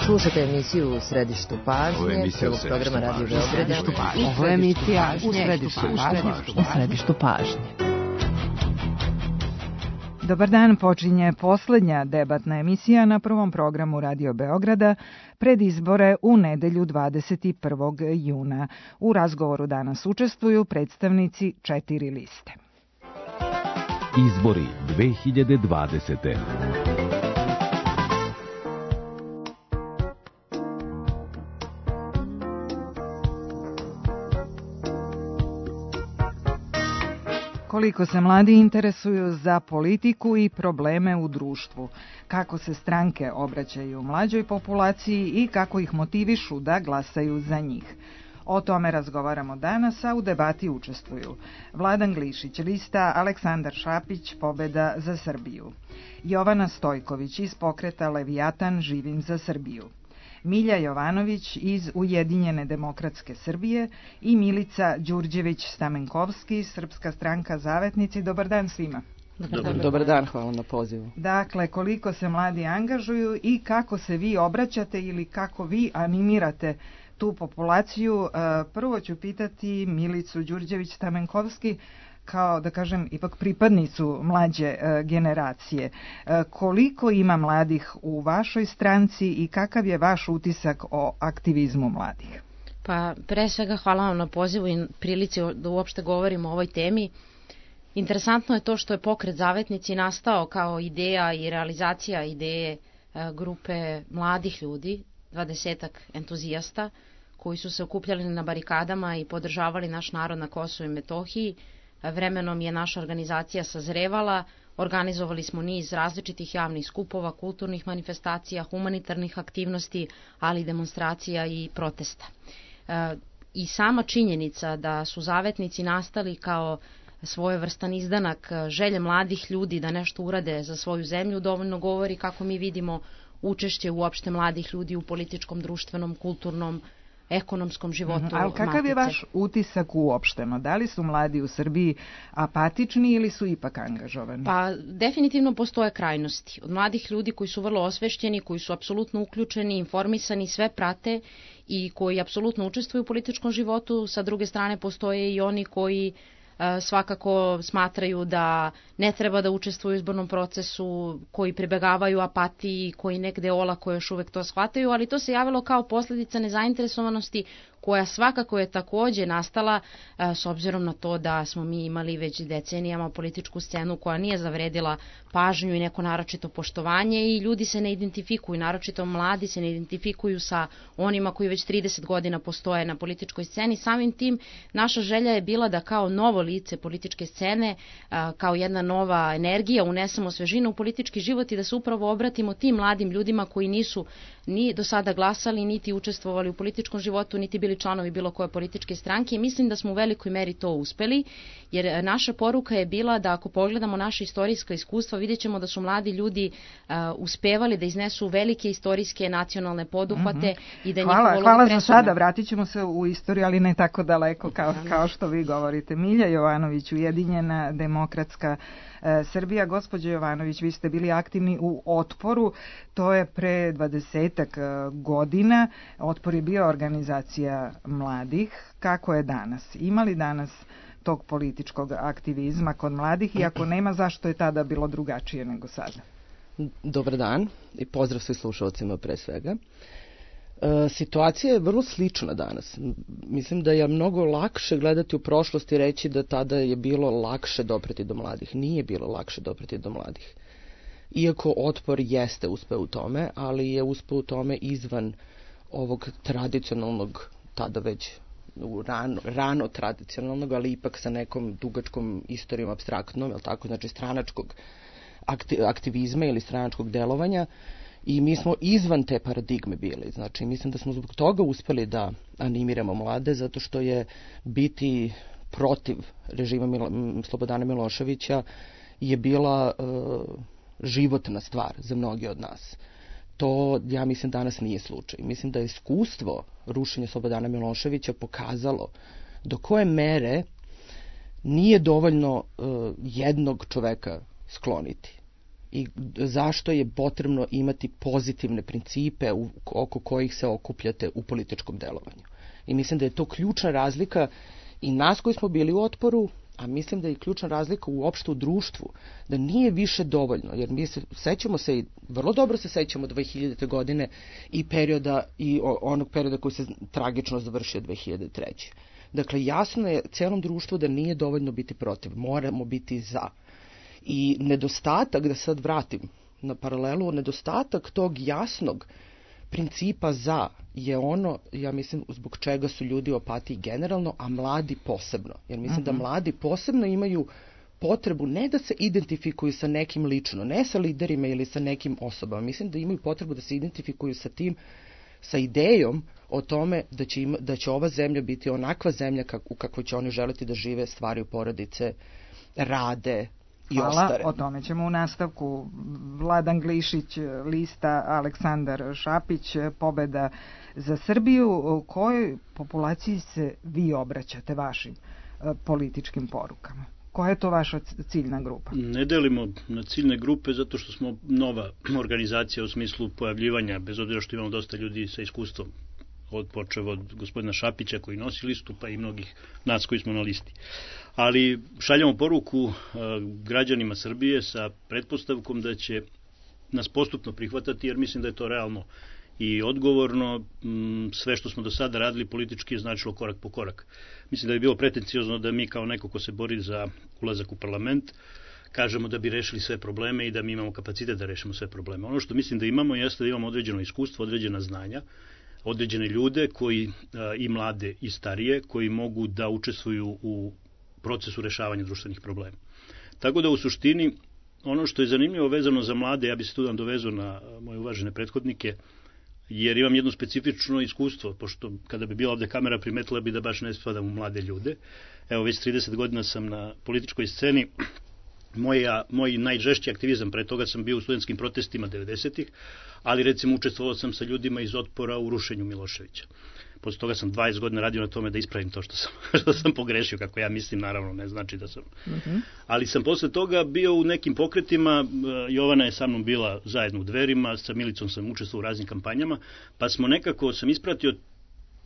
Slušate emisiju U središtu pažnje, prvog programa Radio Beograda. Ovo je emisija U središtu pažnje. Dobar dan, počinje poslednja debatna emisija na prvom programu Radio Beograda pred izbore u nedelju 21. juna. U razgovoru danas učestvuju predstavnici 4 liste. Izbori 2020. Koliko se mladi interesuju za politiku i probleme u društvu, kako se stranke obraćaju mlađoj populaciji i kako ih motivišu da glasaju za njih. O tome razgovaramo danas, a u debati učestvuju Vladan Glišić, lista Aleksandar Šapić, Pobeda za Srbiju, Jovana Stojković iz pokreta Levijatan, Živim za Srbiju, Milja Jovanović iz Ujedinjene demokratske Srbije i Milica Đurđević-Stamenkovski, Srpska stranka Zavetnici. Dobar dan svima. Dobar dan, hvala na pozivu. Dakle, koliko se mladi angažuju i kako se vi obraćate ili kako vi animirate tu populaciju. Prvo ću pitati Milicu Đurđević-Stamenkovski, kao da kažem ipak pripadnicu mlađe generacije. Koliko ima mladih u vašoj stranci i kakav je vaš utisak o aktivizmu mladih? Pa pre svega hvala vam na pozivu i prilici da uopšte govorimo o ovoj temi. Interesantno je to što je pokret Zavetnici nastao kao ideja i realizacija ideje grupe mladih ljudi, 20 entuzijasta koji su se okupljali na barikadama i podržavali naš narod na Kosovu i Metohiji. Vremenom je naša organizacija sazrevala, organizovali smo niz različitih javnih skupova, kulturnih manifestacija, humanitarnih aktivnosti, ali i demonstracija i protesta. I sama činjenica da su Zavetnici nastali kao svojevrstan izdanak želje mladih ljudi da nešto urade za svoju zemlju dovoljno govori kako mi vidimo učešće uopšte mladih ljudi u političkom, društvenom, kulturnom, ekonomskom životu Matice. Ali kakav je vaš utisak uopšteno? Da li su mladi u Srbiji apatični ili su ipak angažovani? Pa definitivno postoje krajnosti. Od mladih ljudi koji su vrlo osvešćeni, koji su apsolutno uključeni, informisani, sve prate i koji apsolutno učestvuju u političkom životu. Sa druge strane postoje i oni koji svakako smatraju da ne treba da učestvuju u izbornom procesu, koji pribegavaju apatiji, koji negde olako još uvek to shvataju, ali to se javilo kao posljedica nezainteresovanosti koja svakako je takođe nastala s obzirom na to da smo mi imali već decenijama političku scenu koja nije zavredila pažnju i neko naročito poštovanje i ljudi se ne identifikuju, naročito mladi se ne identifikuju sa onima koji već 30 godina postoje na političkoj sceni. Samim tim naša želja je bila da kao novo lice političke scene, kao jedna nova energija unesemo svežinu u politički život i da se upravo obratimo tim mladim ljudima koji nisu ni do sada glasali, niti učestvovali u političkom životu, niti bili članovi bilo koje političke stranke i mislim da smo u velikoj meri to uspeli, jer naša poruka je bila da ako pogledamo naše istorijska iskustva, vidjet ćemo da su mladi ljudi uspevali da iznesu velike istorijske nacionalne poduhvate i da njihova uloga presudna. Hvala za sada, vratit ćemo se u istoriju, ali ne tako daleko kao što vi govorite. Milja Jovanović, Ujedinjena demokratska Srbija. Gospođo Jovanović, vi ste bili aktivni u Otporu, to je pre 20 godina. Otpor je bio organizacija mladih. Kako je danas? Ima li danas tog političkog aktivizma kod mladih i ako nema, zašto je tada bilo drugačije nego sada? Dobar dan i pozdrav svim slušalcima pre svega. Situacija je vrlo slična danas. Mislim da je mnogo lakše gledati u prošlost i reći da tada je bilo lakše dopreti do mladih. Nije bilo lakše dopreti do mladih. Iako Otpor jeste uspeo u tome, ali je uspeo u tome izvan ovog tradicionalnog, tada već rano tradicionalnog, ali ipak sa nekom dugačkom istorijom apstraktnom, je tako, znači stranačkog aktivizma ili stranačkog delovanja. I mi smo izvan te paradigme bili. Znači, mislim da smo zbog toga uspeli da animiramo mlade, zato što je biti protiv režima Slobodana Miloševića je bila životna stvar za mnogi od nas. To, ja mislim, danas nije slučaj. Mislim da je iskustvo rušenja Slobodana Miloševića pokazalo do koje mere nije dovoljno jednog čoveka skloniti. i zašto je potrebno imati pozitivne principe oko kojih se okupljate u političkom delovanju. I mislim da je to ključna razlika i nas koji smo bili u otporu, a mislim da je ključna razlika uopšte u društvu, da nije više dovoljno, jer mi sećamo se i vrlo dobro se sećamo 2000. godine i onog perioda koji se tragično završio 2003. Dakle, jasno je celom društvu da nije dovoljno biti protiv, moramo biti za. I nedostatak, da sad vratim na paralelu, nedostatak tog jasnog principa za je ono, ja mislim, zbog čega su ljudi u apatiji generalno, a mladi posebno. Jer mislim da mladi posebno imaju potrebu ne da se identifikuju sa nekim lično, ne sa liderima ili sa nekim osobama. Mislim da imaju potrebu da se identifikuju sa tim, sa idejom o tome da će ova zemlja biti onakva zemlja u kakvoj će oni želiti da žive, stvaraju porodice, rade i ostare. Hvala, o tome ćemo u nastavku. Vladan Glišić, lista Aleksandar Šapić, Pobeda za Srbiju. Kojoj populaciji se vi obraćate vašim političkim porukama? Koja je to vaša ciljna grupa? Ne delimo na ciljne grupe zato što smo nova organizacija u smislu pojavljivanja, bez obzira što imamo dosta ljudi sa iskustvom, počev od gospodina Šapića koji nosi listu, pa i mnogih nas koji smo na listi. Ali šaljamo poruku građanima Srbije sa pretpostavkom da će nas postupno prihvatati, jer mislim da je to realno i odgovorno. Sve što smo do sada radili politički je značilo korak po korak. Mislim da je bilo pretenciozno da mi kao neko ko se bori za ulazak u parlament kažemo da bi rešili sve probleme i da mi imamo kapacitet da rešimo sve probleme. Ono što mislim da imamo jeste da imamo određeno iskustvo, određena znanja, određene ljude koji i mlade i starije koji mogu da učestvuju u procesu rešavanja društvenih problema. Tako da u suštini ono što je zanimljivo vezano za mlade, ja bih se tu dovezao na moje uvažene prethodnike, jer imam jedno specifično iskustvo, pošto kada bi bila ovde kamera primetila bi da baš ne spadam u mlade ljude. Evo već 30 godina sam na političkoj sceni. Moj najžešći aktivizam, pre toga sam bio u studentskim protestima 90-ih, ali recimo učestvovao sam sa ljudima iz otpora u rušenju Miloševića. Posle toga sam 20 godina radio na tome da ispravim to što sam pogrešio, kako ja mislim, naravno ne znači da sam. Ali sam posle toga bio u nekim pokretima, Jovana je sa mnom bila zajedno u Dverima, sa Milicom sam učestvovao u raznim kampanjama, pa sam ispratio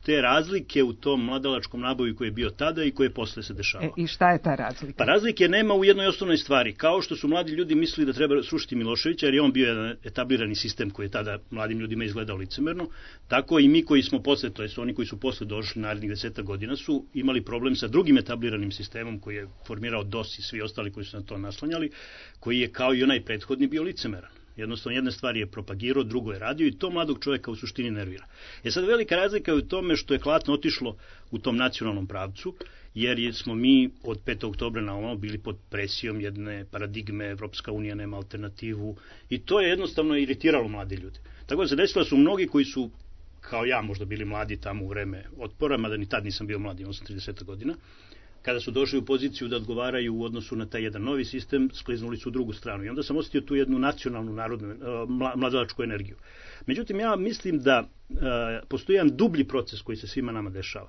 te razlike u tom mladalačkom naboju koji je bio tada i koji je posle se dešavao. I šta je ta razlika? Pa razlike nema u jednoj osnovnoj stvari. Kao što su mladi ljudi mislili da treba srušiti Miloševića, jer je on bio jedan etablirani sistem koji je tada mladim ljudima izgledao licemerno, tako i mi koji smo posle, to jest oni koji su posle došli narednih 10 godina, su imali problem sa drugim etabliranim sistemom koji je formirao DOS i svi ostali koji su na to naslanjali, koji je kao i onaj prethodni bio licemeran. Jednostavno, jedna stvar je propagirao, drugo je radio i to mladog čovjeka u suštini nervira. Sad velika razlika je u tome što je klatno otišlo u tom nacionalnom pravcu, jer smo mi od 5. oktobra na ovamo bili pod presijom jedne paradigme, Evropska unija nema alternativu i to je jednostavno iritiralo mlade ljude. Tako da se desilo su mnogi koji su, kao ja, možda bili mladi tamo u vreme otpora, mada ni tad nisam bio mladi, imao sam 30 godina, kada su došli u poziciju da odgovaraju u odnosu na taj jedan novi sistem, skliznuli su u drugu stranu. I onda sam osjetio tu jednu nacionalnu, mladalačku energiju. Međutim, ja mislim da postoji jedan dublji proces koji se svima nama dešava.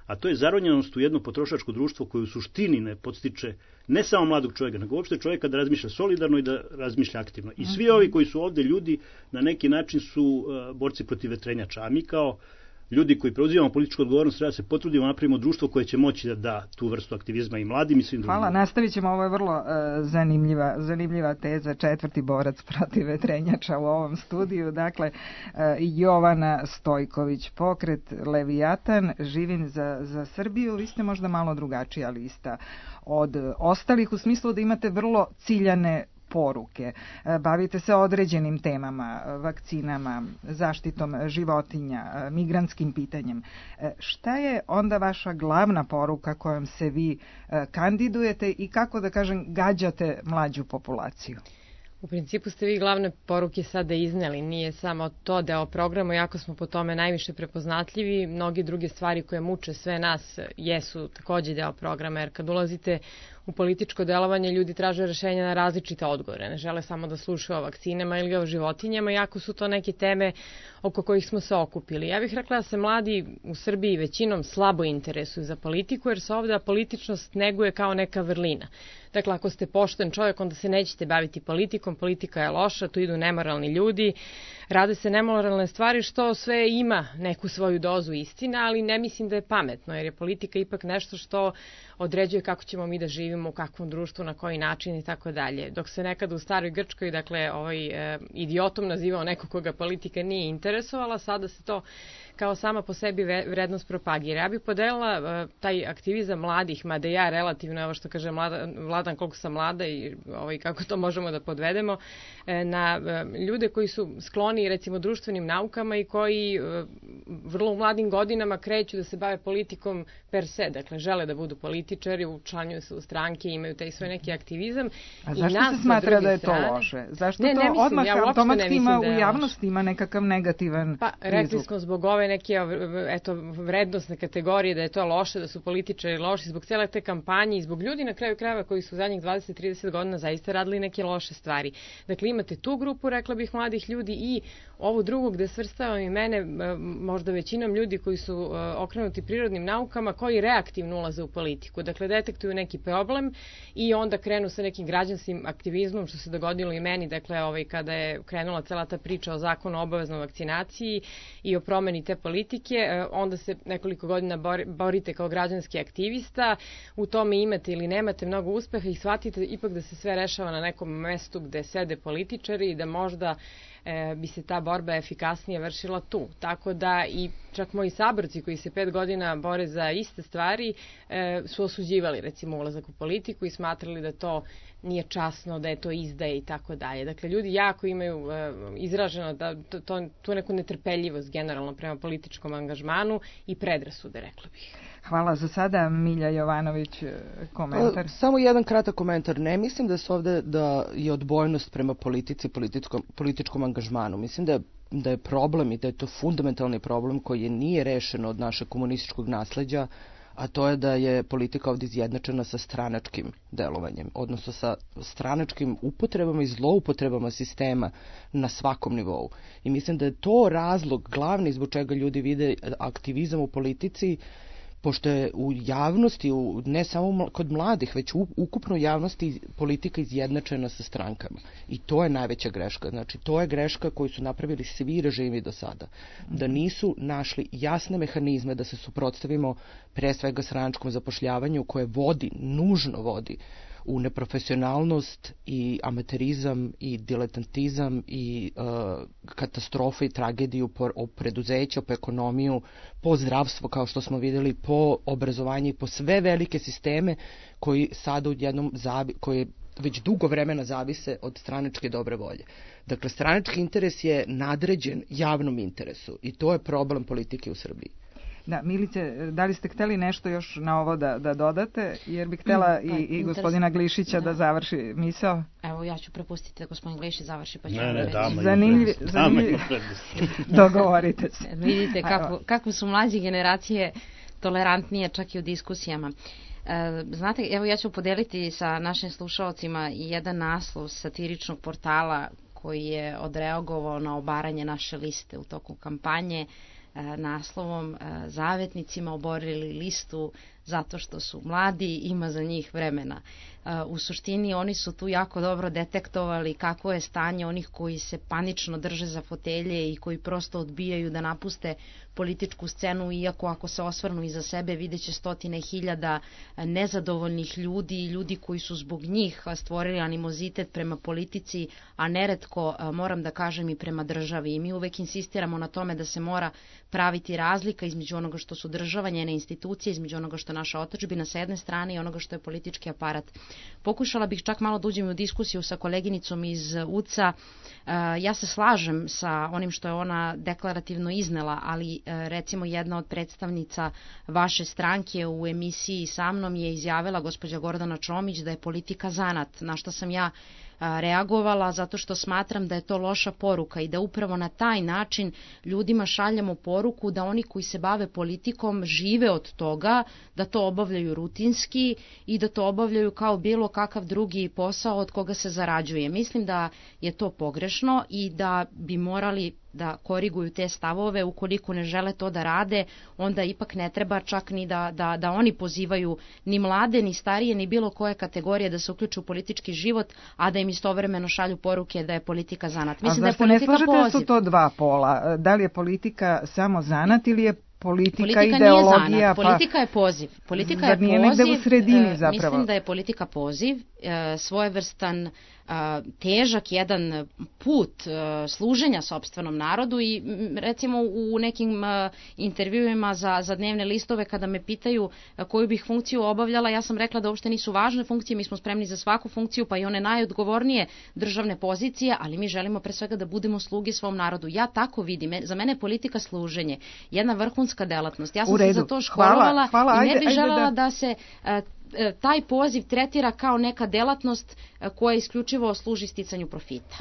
A to je zaronjenost u jedno potrošačko društvo koje u suštini ne podstiče ne samo mladog čovjeka, nego uopšte čovjeka da razmišlja solidarno i da razmišlja aktivno. I svi ovi koji su ovde ljudi na neki način su borci protiv vetrenjača. A mi kao ljudi koji preuzimamo političku odgovornost treba se potrudimo napravimo društvo koje će moći da da tu vrstu aktivizma i mladim i svim drugim. Hvala, nastavit ćemo, ovo je vrlo zanimljiva teza, 4. borac protiv vetrenjača u ovom studiju, dakle Jovana Stojković, pokret Levijatan, Živim za Srbiju. Vi ste možda malo drugačija lista od ostalih u smislu da imate vrlo ciljane poruke. Bavite se određenim temama, vakcinama, zaštitom životinja, migrantskim pitanjem. Šta je onda vaša glavna poruka kojom se vi kandidujete i kako da kažem gađate mlađu populaciju? U principu ste vi glavne poruke sada izneli, nije samo to deo programa, iako smo po tome najviše prepoznatljivi, mnogi druge stvari koje muče sve nas jesu takođe deo programa, jer kad ulazite u političko delovanje ljudi traže rešenja na različite odgovore. Ne žele samo da slušaju o vakcinama ili o životinjama, iako su to neke teme oko kojih smo se okupili. Ja bih rekla da se mladi u Srbiji većinom slabo interesuju za politiku, jer se ovdje političnost neguje kao neka vrlina. Dakle, ako ste pošten čovjek, onda se nećete baviti politikom, politika je loša, tu idu nemoralni ljudi, rade se nemoralne stvari, što sve ima neku svoju dozu istina, ali ne mislim da je pametno, jer je politika ipak nešto što određuje kako ćemo mi da živimo, u kakvom društvu, na koji način i tako dalje. Dok se nekada u staroj Grčkoj, dakle, idiotom nazivao neko koga politika nije interesovala, sada se to kao sama po sebi vrednost propagira. Ja bih podelila taj aktivizam mladih, mada ja relativno, evo što kaže Vladan, koliko sam mlada i kako to možemo da podvedemo, na ljude koji su skloni recimo društvenim naukama i koji vrlo u mladim godinama kreću da se bave politikom per se, dakle žele da budu političari, učlanjuju se u stranke, imaju taj svoj neki aktivizam. A zašto se smatra da je to loše? Zašto to odmah automatski ima u javnosti ima nekakav negativan prizvuk? Pa rekli smo zbog ove neke vrednostne kategorije da je to loše, da su političari loši, zbog cijele te kampanje i zbog ljudi na kraju krajeva koji su zadnjih 20-30 godina zaista radili neke loše stvari. Dakle, imate tu grupu, rekla bih, mladih ljudi i ovu drugu gde svrstavam i mene, možda većinom ljudi koji su okrenuti prirodnim naukama, koji reaktivno ulaze u politiku. Dakle, detektuju neki problem i onda krenu sa nekim građanskim aktivizmom, što se dogodilo i meni, dakle, kada je krenula cela ta priča o zakonu o obaveznoj vakcinaciji i o promeni te politike, onda se nekoliko godina borite kao građanski aktivista, u tome imate ili nemate mnogo uspeha i shvatite ipak da se sve rešava na nekom mestu gde sede političari i da možda bi se ta borba efikasnije vršila tu. Tako da i čak moji saborci koji se 5 godina bore za iste stvari su osuđivali recimo ulazak u politiku i smatrali da to nije časno, da je to izdaje i tako dalje. Dakle, ljudi jako imaju izraženo tu neku netrpeljivost generalno prema političkom angažmanu i predrasude, rekla bih. Hvala za sada. Milja Jovanović, komentar. Samo jedan kratak komentar. Ne mislim da se ovde da je odbojnost prema politici, političkom angažmanu. Mislim da je problem i da je to fundamentalni problem koji nije rešen od našeg komunističkog nasleđa, a to je da je politika ovdje izjednačena sa stranačkim delovanjem, odnosno sa stranačkim upotrebama i zloupotrebama sistema na svakom nivou. I mislim da je to razlog glavni zbog čega ljudi vide aktivizam u politici, pošto je u javnosti, ne samo kod mladih, već ukupno u javnosti politika izjednačena sa strankama. I to je najveća greška. Znači, to je greška koju su napravili svi režimi do sada. Da nisu našli jasne mehanizme da se suprotstavimo pre svega stranačkom zapošljavanju koje nužno vodi u neprofesionalnost i amaterizam i diletantizam i katastrofe i tragediju po preduzeća, po ekonomiju, po zdravstvo kao što smo vidjeli, po obrazovanje i po sve velike sisteme koji sada koji već dugo vremena zavise od stranačke dobre volje. Dakle, stranački interes je nadređen javnom interesu i to je problem politike u Srbiji. Da, Milice, da li ste hteli nešto još na ovo da dodate? Jer bih htela i gospodina Glišića da završi misao. Evo, ja ću prepustiti da gospodin Glišić završi, pa ću zanimljiv. Dogovorite se. Vidite kako su mlađe generacije tolerantnije čak i u diskusijama. Znate, evo ja ću podeliti sa našim slušalcima jedan naslov satiričnog portala koji je odreagovao na obaranje naše liste u toku kampanje naslovom "Zavetnicima oborili listu zato što su mladi, ima za njih vremena". U suštini oni su tu jako dobro detektovali kako je stanje onih koji se panično drže za fotelje i koji prosto odbijaju da napuste političku scenu, iako ako se osvrnu iza sebe vidjet će stotine hiljada nezadovoljnih ljudi i ljudi koji su zbog njih stvorili animozitet prema politici, a neretko, moram da kažem, i prema državi. I mi uvek insistiramo na tome da se mora praviti razlika između onoga što su država, njene institucije, između onoga što je naša otadžbina sa jedne strane i onoga što je politički aparat. Pokušala bih čak malo da uđem u diskusiju sa koleginicom iz UCA. Ja se slažem sa onim što je ona deklarativno iznela, ali recimo jedna od predstavnica vaše stranke u emisiji sa mnom je izjavila, gospođa Gordana Čomić, da je politika zanat, na što sam ja reagovala zato što smatram da je to loša poruka i da upravo na taj način ljudima šaljemo poruku da oni koji se bave politikom žive od toga, da to obavljaju rutinski i da to obavljaju kao bilo kakav drugi posao od koga se zarađuje. Mislim da je to pogrešno i da bi morali da koriguju te stavove. Ukoliko ne žele to da rade, onda ipak ne treba čak ni da oni pozivaju ni mlade, ni starije, ni bilo koje kategorije da se uključe u politički život, a da im istovremeno šalju poruke da je politika zanat. Mislim da je politika poziv. Ne slažete su to dva pola? Da li je politika samo zanat ili je politika ideologija? Nije zanat, politika je poziv. Politika je poziv. Negde u sredini zapravo? Mislim da je politika poziv, svojevrstan težak jedan put služenja sopstvenom narodu i recimo u nekim intervjuima za dnevne listove kada me pitaju koju bih funkciju obavljala, ja sam rekla da uopšte nisu važne funkcije, mi smo spremni za svaku funkciju pa i one najodgovornije državne pozicije, ali mi želimo pre svega da budemo sluge svom narodu. Ja tako vidim, za mene je politika služenje, jedna vrhunska delatnost. Ja sam se za to školovala i ne bih želela da se taj poziv tretira kao neka delatnost koja isključivo služi sticanju profita.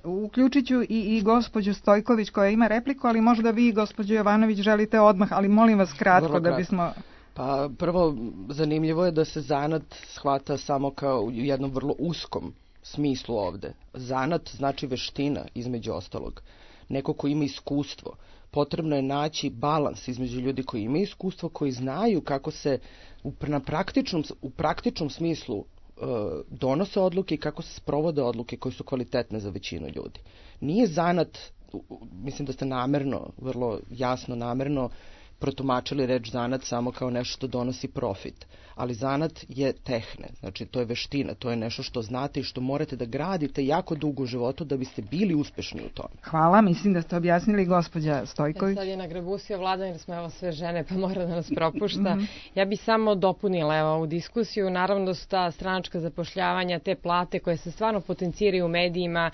Uključit ću i gospođu Stojković koja ima repliku, ali možda vi, gospođo Jovanović, želite odmah, ali molim vas kratko da bismo... Pa prvo, zanimljivo je da se zanat shvata samo kao u jednom vrlo uskom smislu ovde. Zanat znači veština, između ostalog. Neko ko ima iskustvo. Potrebno je naći balans između ljudi koji imaju iskustvo, koji znaju kako se u praktičnom smislu donose odluke i kako se sprovode odluke koje su kvalitetne za većinu ljudi. Nije zanat, mislim da ste namerno, vrlo jasno namerno protumačili reč zanat samo kao nešto što donosi profit. Ali zanat je tehne, znači to je veština, to je nešto što znate i što morate da gradite jako dugo u životu da biste bili uspešni u tome. Hvala, mislim da ste objasnili, gospođa Stojković. Sad je nagrabusio Vladan jer smo evo sve žene pa mora da nas propušta. Ja bih samo dopunila ovu diskusiju, naravno da su ta stranačka zapošljavanja, te plate koje se stvarno potenciraju u medijima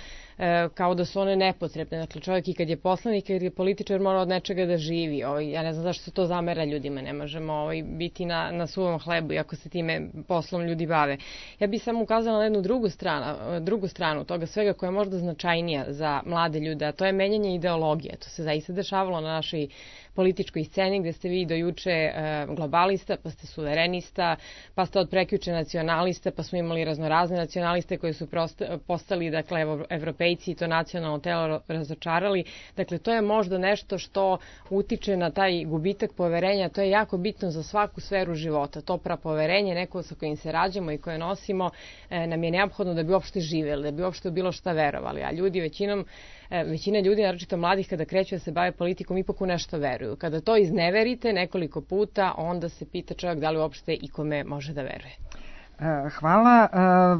kao da su one nepotrebne. Dakle, čovjek i kad je poslanik, kad je političar mora od nečega da živi. Ja ne znam zašto se to zamera ljudima, ne možemo biti na suvom hlebu iako se time poslom ljudi bave. Ja bih samo ukazala na jednu drugu stranu toga svega koja je možda značajnija za mlade ljude, a to je menjanje ideologije. To se zaista dešavalo na našoj političkoj sceni gde ste vi do juče globalista, pa ste suverenista, pa ste od prekjuče nacionalista, pa smo imali raznorazne nacionaliste koji su postali, dakle, evropejci i to nacionalno telo razočarali. Dakle, to je možda nešto što utiče na taj gubitak poverenja, to je jako bitno za svaku sferu života. To prapoverenje, neko sa kojim se rađamo i koje nosimo, nam je neophodno da bi uopšte živeli, da bi uopšte bilo šta verovali. A ljudi, većina ljudi, naročito mladih, kada kreću da se bave politikom, ipak u nešto veruju. Kada to izneverite nekoliko puta, onda se pita čovjek da li uopšte ikome može da veruje. Hvala.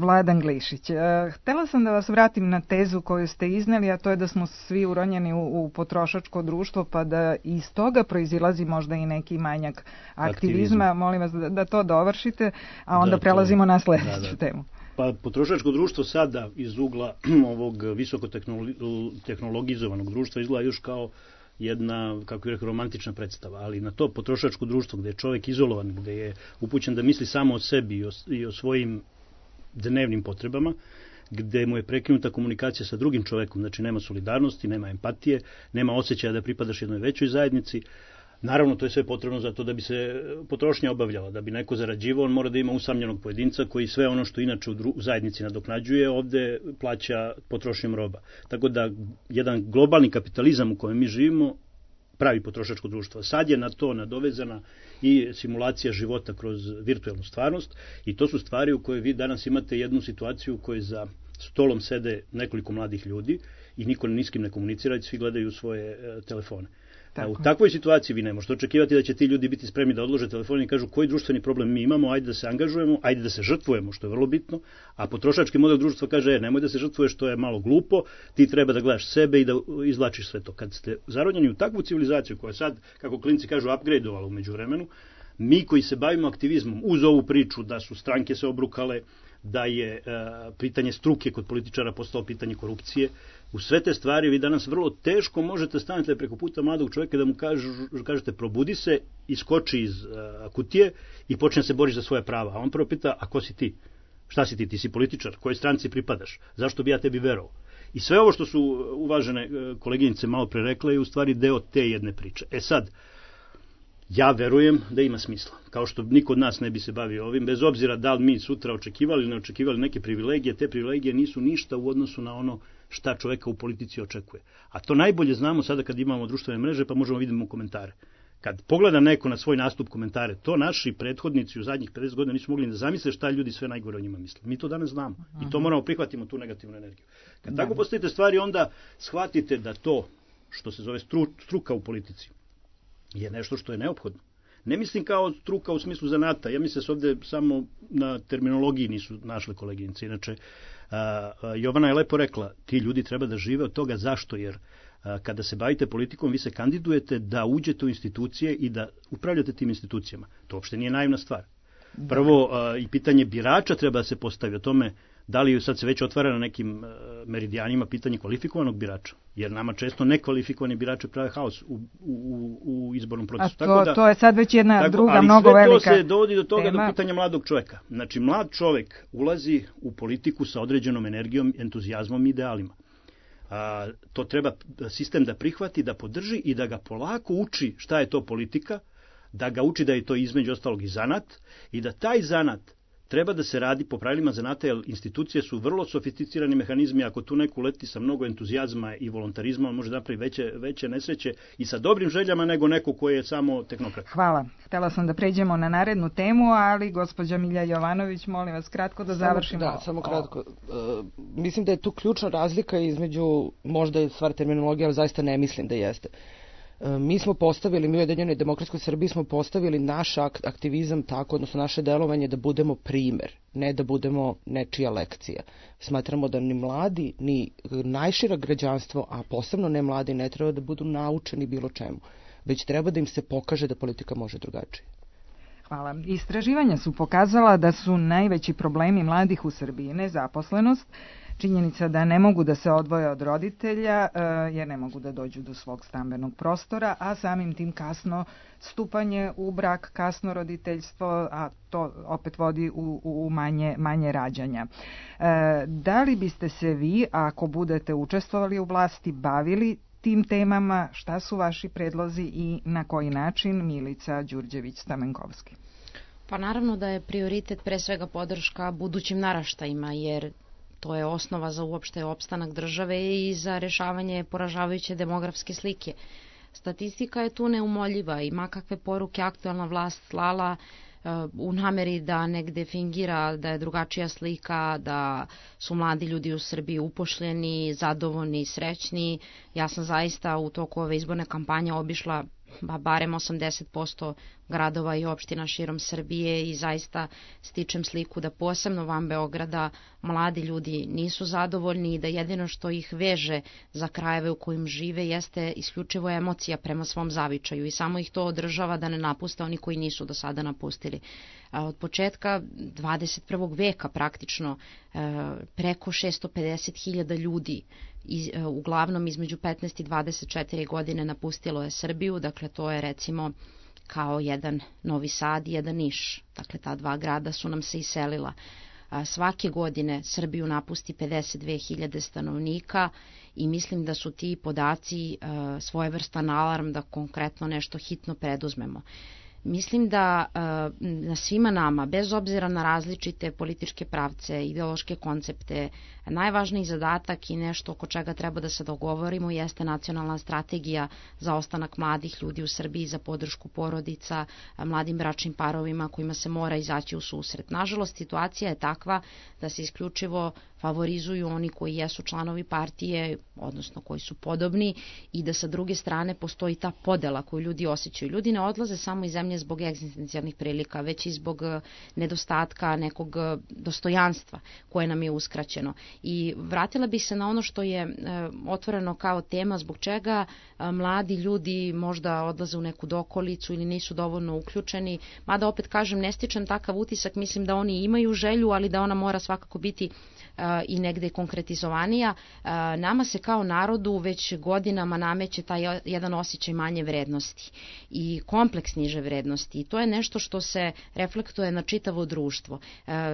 Vladan Glišić. Htela sam da vas vratim na tezu koju ste izneli, a to je da smo svi uronjeni u potrošačko društvo, pa da iz toga proizilazi možda i neki manjak aktivizma. Molim vas da to dovršite, a onda prelazimo na sledeću temu. Pa potrošačko društvo sada iz ugla ovog visokotehnologizovanog društva izgleda još kao jedna, kako bih rekao, romantična predstava, ali na to potrošačko društvo gde je čovjek izolovan, gde je upućen da misli samo o sebi i o svojim dnevnim potrebama, gde mu je prekinuta komunikacija sa drugim čovjekom, znači nema solidarnosti, nema empatije, nema osjećaja da pripadaš jednoj većoj zajednici. Naravno, to je sve potrebno zato da bi se potrošnja obavljala, da bi neko zarađivao, on mora da ima usamljenog pojedinca koji sve ono što inače u zajednici nadoknađuje, ovde plaća potrošnjom roba. Tako da jedan globalni kapitalizam u kojem mi živimo pravi potrošačko društvo. Sad je na to nadovezana i simulacija života kroz virtualnu stvarnost i to su stvari u kojoj vi danas imate jednu situaciju u kojoj za stolom sede nekoliko mladih ljudi i niko ni s kim ne komunicira, svi gledaju svoje telefone. U takvoj situaciji vi ne možete očekivati da će ti ljudi biti spremni da odlože telefon i kažu koji društveni problem mi imamo, ajde da se angažujemo, ajde da se žrtvujemo, što je vrlo bitno, a potrošački model društva kaže nemoj da se žrtvuješ, to je malo glupo, ti treba da gledaš sebe i da izvlačiš sve to. Kad ste zaronjeni u takvu civilizaciju koja sad, kako klinci kažu, upgradeovala u međuvremenu, mi koji se bavimo aktivizmom uz ovu priču da su stranke se obrukale, da je pitanje struke kod političara postalo pitanje korupcije. U sve te stvari vi danas vrlo teško možete stanete preko puta mladog čovjeka da mu kažete probudi se, iskoči iz kutije i počne se boriš za svoje prava. A on prvo pita, a ko si ti? Šta si ti? Ti si političar, kojoj stranci pripadaš? Zašto bi ja tebi verovao? I sve ovo što su uvažene koleginice malo pre rekla je u stvari deo te jedne priče. Sad, ja verujem da ima smisla. Kao što niko od nas ne bi se bavio ovim, bez obzira da li mi sutra očekivali ili ne očekivali neke privilegije, te privilegije nisu ništa u odnosu na ono šta čoveka u politici očekuje. A to najbolje znamo sada kad imamo društvene mreže, pa možemo vidimo komentare. Kad pogleda neko na svoj nastup komentare, to naši prethodnici u zadnjih 50 godina nisu mogli da zamisle šta ljudi sve najgore o njima misle. Mi to danas znamo i to moramo prihvatimo, tu negativnu energiju. Kad tako postavite stvari, onda shvatite da to što se zove struka u politici je nešto što je neophodno. Ne mislim kao struka u smislu zanata, ja mislim da se ovde samo na terminologiji nisu našle koleginice. Inače, Jovana je lepo rekla, ti ljudi treba da žive od toga. Zašto? Jer kada se bavite politikom, vi se kandidujete da uđete u institucije i da upravljate tim institucijama. To uopšte nije naivna stvar. Prvo, i pitanje birača treba da se postavi o tome da li sad se već otvara na nekim meridijanima pitanje kvalifikovanog birača. Jer nama često nekvalifikovani birači prave haos u izbornom procesu. To je sad već jedna druga, mnogo velika tema. Ali sve to se dovodi do toga, do pitanja mladog čoveka. Znači, mlad čovek ulazi u politiku sa određenom energijom, entuzijazmom i idealima. To treba sistem da prihvati, da podrži i da ga polako uči šta je to politika, da ga uči da je to između ostalog i zanat i da taj zanat treba da se radi po pravilima zanata, jer institucije su vrlo sofisticirani mehanizmi. Ako tu neko uleti sa mnogo entuzijazma i volontarizma, on može napraviti veće nesreće i sa dobrim željama nego neko koji je samo tehnokrat. Hvala. Htela sam da pređemo na narednu temu, ali gospođa Milja Jovanović, molim vas kratko da završimo. Samo kratko. Mislim da je tu ključna razlika između, možda je stvar terminologije, ali zaista ne mislim da jeste. Mi smo postavili, mi u Ujedinjenoj demokratskoj Srbiji smo postavili naš aktivizam tako, odnosno naše delovanje da budemo primer, ne da budemo nečija lekcija. Smatramo da ni mladi, ni najšira građanstvo, a posebno ne mladi, ne treba da budu naučeni bilo čemu, već treba da im se pokaže da politika može drugačije. Hvala. Istraživanja su pokazala da su najveći problemi mladih u Srbiji nezaposlenost, činjenica da ne mogu da se odvoje od roditelja jer ne mogu da dođu do svog stambenog prostora, a samim tim kasno stupanje u brak, kasno roditeljstvo, a to opet vodi u manje rađanja. Da li biste se vi, ako budete učestvovali u vlasti, bavili tim temama? Šta su vaši predlozi i na koji način? Milica Đurđević-Stamenkovski. Pa naravno da je prioritet pre svega podrška budućim naraštajima, jer to je osnova za uopšte opstanak države i za rešavanje poražavajuće demografske slike. Statistika je tu neumoljiva i makakve poruke aktualna vlast slala u nameri da negde fingira da je drugačija slika, da su mladi ljudi u Srbiji upošljeni, zadovoljni, srećni. Ja sam zaista u toku ove izborne kampanje obišla barem 80% gradova i opština širom Srbije i zaista stičem sliku da posebno van Beograda mladi ljudi nisu zadovoljni i da jedino što ih veže za krajeve u kojim žive jeste isključivo emocija prema svom zavičaju i samo ih to održava da ne napuste oni koji nisu do sada napustili. Od početka 21. veka praktično preko 650.000 ljudi uglavnom između 15 i 24 godine napustilo je Srbiju, dakle to je recimo kao jedan Novi Sad i jedan Niš, dakle ta dva grada su nam se iselila. Svake godine Srbiju napusti 52.000 stanovnika i mislim da su ti podaci svojevrstan alarm da konkretno nešto hitno preduzmemo. Mislim da na svima nama, bez obzira na različite političke pravce, ideološke koncepte, najvažniji zadatak i nešto oko čega treba da se dogovorimo jeste nacionalna strategija za ostanak mladih ljudi u Srbiji, za podršku porodica, mladim bračnim parovima kojima se mora izaći u susret. Nažalost, situacija je takva da se isključivo favorizuju oni koji jesu članovi partije, odnosno koji su podobni i da sa druge strane postoji ta podela koju ljudi osjećaju. Ljudi ne odlaze samo iz zemlje zbog egzistencijalnih prilika, već i zbog nedostatka nekog dostojanstva koje nam je uskraćeno. I vratila bih se na ono što je otvoreno kao tema, zbog čega mladi ljudi možda odlaze u neku dokolicu ili nisu dovoljno uključeni, mada opet kažem ne stičem takav utisak, mislim da oni imaju želju, ali da ona mora svakako biti i negde konkretizovanija, nama se kao narodu već godinama nameće taj jedan osjećaj manje vrednosti i kompleks niže vrednosti. I to je nešto što se reflektuje na čitavo društvo.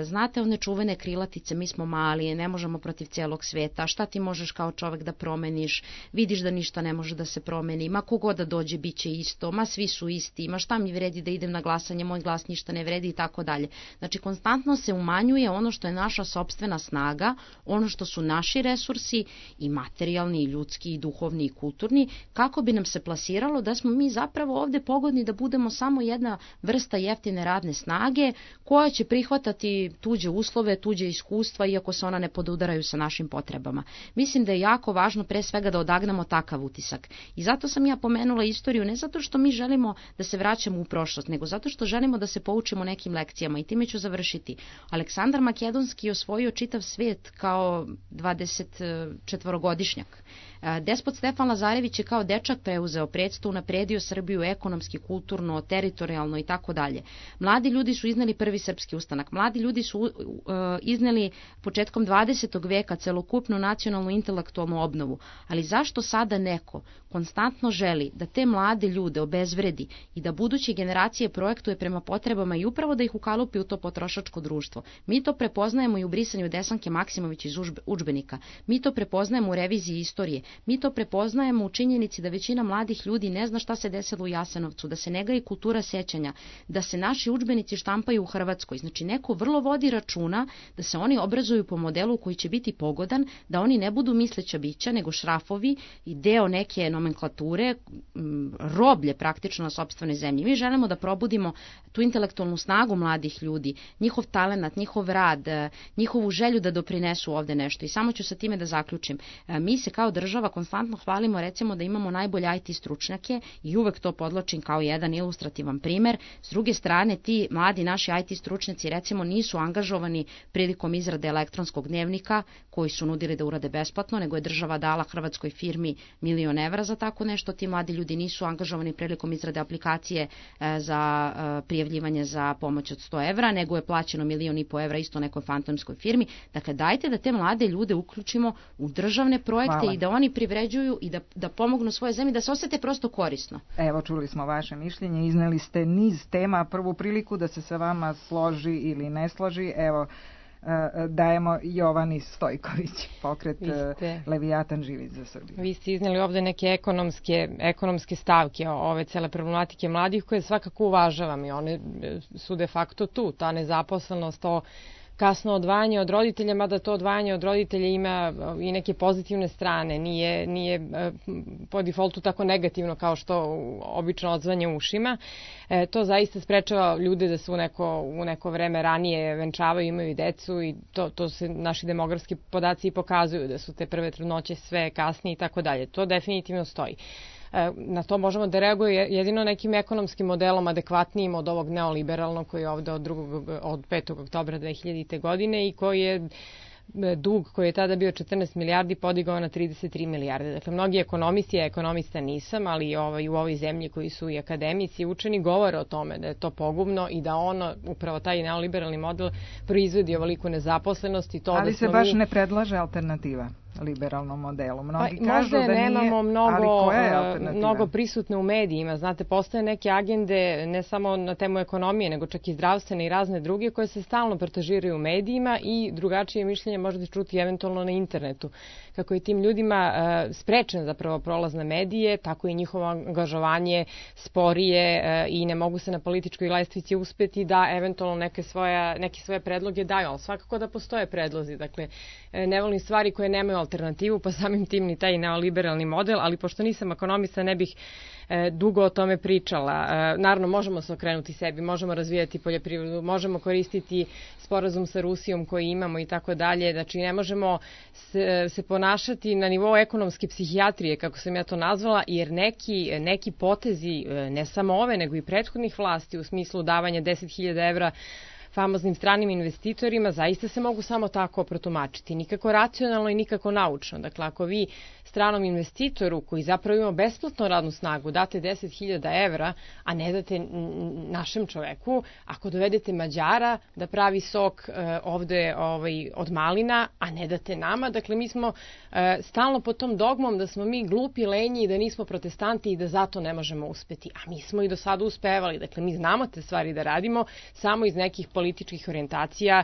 Znate one čuvene krilatice, mi smo mali, ne možemo protiv cijelog sveta, šta ti možeš kao čovek da promeniš, vidiš da ništa ne može da se promeni, ma kogod da dođe bit će isto, ma svi su isti, ma šta mi vredi da idem na glasanje, moj glas ništa ne vredi i tako dalje. Znači konstantno se umanjuje ono što je naša sopstvena snaga, ono što su naši resursi i materijalni, i ljudski, i duhovni, i kulturni, kako bi nam se plasiralo da smo mi zapravo ovde pogodni da budemo samo jedna vrsta jeftine radne snage koja će prihvatati tuđe uslove, tuđe iskustva, iako se ona ne podudaraju sa našim potrebama. Mislim da je jako važno pre svega da odagnamo takav utisak. I zato sam ja pomenula istoriju, ne zato što mi želimo da se vraćamo u prošlost, nego zato što želimo da se poučimo nekim lekcijama i time ću završiti. Aleksandar Makedonski je osvojio čitav svijet kao 24-godišnjak. Despot Stefan Lazarević je kao dečak preuzeo predstvo, unapredio Srbiju ekonomski, kulturno, teritorijalno i tako dalje. Mladi ljudi su izneli prvi srpski ustanak. Mladi ljudi su izneli početkom 20. veka celokupnu nacionalnu intelektualnu obnovu. Ali zašto sada neko konstantno želi da te mlade ljude obezvredi i da buduće generacije projektuje prema potrebama i upravo da ih ukalupi u to potrošačko društvo? Mi to prepoznajemo i u brisanju Desanke Maksimović iz udžbenika. Mi to prepoznajemo u reviziji istorije. Mi to prepoznajemo u činjenici da većina mladih ljudi ne zna šta se desilo u Jasenovcu, da se ne gaji kultura sećanja, da se naši udžbenici štampaju u Hrvatskoj. Znači neko vrlo vodi računa da se oni obrazuju po modelu koji će biti pogodan, da oni ne budu misleća bića, nego šrafovi i deo neke nomenklature, roblje praktično na sopstvenoj zemlji. Mi želimo da probudimo tu intelektualnu snagu mladih ljudi, njihov talenat, njihov rad, njihovu želju da doprinesu ovde nešto. I samo ću sa time da zaključim. Mi se kao država konstantno hvalimo recimo da imamo najbolje IT stručnjake i uvek to podlačim kao jedan ilustrativan primer. S druge strane, ti mladi naši IT stručnjaci recimo nisu angažovani prilikom izrade elektronskog dnevnika koji su nudili da urade besplatno, nego je država dala hrvatskoj firmi €1.000.000 za tako nešto. Ti mladi ljudi nisu angažovani prilikom izrade aplikacije za prijavljivanje za pomoć od €100, nego je plaćeno €1.500.000 isto nekoj fantomskoj firmi. Dakle, dajte da te mlade ljude uključimo u državne projekte i da oni privređuju i da pomognu svoje zemlji, da se osete prosto korisno. Evo, čuli smo vaše mišljenje, izneli ste niz tema, prvu priliku da se sa vama složi ili ne složi. Evo, dajemo Jovani Stojković, pokret Levijatan živi za Srbiju. Vi ste izneli ovde neke ekonomske stavke ove cele problematike mladih koje svakako uvažavam i one su de facto tu, ta nezaposlenost, to kasno odvajanje od roditelja, mada to odvajanje od roditelja ima i neke pozitivne strane, nije po defaultu tako negativno kao što obično odzvanje ušima. To zaista sprečava ljude da se u neko vreme ranije venčavaju, imaju decu i to se naši demografski podaci i pokazuju da su te prve trudnoće sve kasnije i tako dalje. To definitivno stoji. Na to možemo da reaguje jedino nekim ekonomskim modelom adekvatnijim od ovog neoliberalnog koji je ovde od 5. oktobra 2000. godine i koji je dug koji je tada bio 14 milijardi podigao na 33 milijarde. Dakle, mnogi ekonomisti, ja ekonomista nisam, ali u ovoj zemlji koji su i akademici i učeni govore o tome da je to pogubno i da upravo taj neoliberalni model proizvodi ovoliku nezaposlenost i to ali se baš ne predlaže alternativa liberalnom modelu. Mnogi kažu da nije, nemamo mnogo prisutne u medijima. Znate, postoje neke agende ne samo na temu ekonomije, nego čak i zdravstvene i razne druge koje se stalno protažiraju u medijima i drugačije mišljenje možete čuti eventualno na internetu. Kako je tim ljudima sprečen zapravo prolaz na medije, tako i njihovo angažovanje sporije i ne mogu se na političkoj lestvici uspeti da eventualno neke svoje predloge daju, ali svakako da postoje predlozi. Dakle, ne volim stvari koje nemaju alternativu, pa samim tim ni taj neoliberalni model, ali pošto nisam ekonomista ne bih dugo o tome pričala. Naravno, možemo se okrenuti sebi, možemo razvijati poljoprivredu, možemo koristiti sporazum sa Rusijom koji imamo i tako dalje. Znači, ne možemo se ponašati na nivou ekonomske psihijatrije, kako sam ja to nazvala, jer neki potezi, ne samo ove, nego i prethodnih vlasti u smislu davanja 10.000 evra famoznim stranim investitorima zaista se mogu samo tako protumačiti. Nikako racionalno i nikako naučno. Dakle, ako vi stranom investitoru koji zapravo ima besplatnu radnu snagu date 10.000 evra, a ne date našem čoveku, ako dovedete Mađara da pravi sok ovde od malina, a ne date nama, dakle mi smo stalno pod tom dogmom da smo mi glupi, lenji i da nismo protestanti i da zato ne možemo uspeti. A mi smo i do sada uspevali. Dakle, mi znamo te stvari da radimo samo iz nekih političkih orijentacija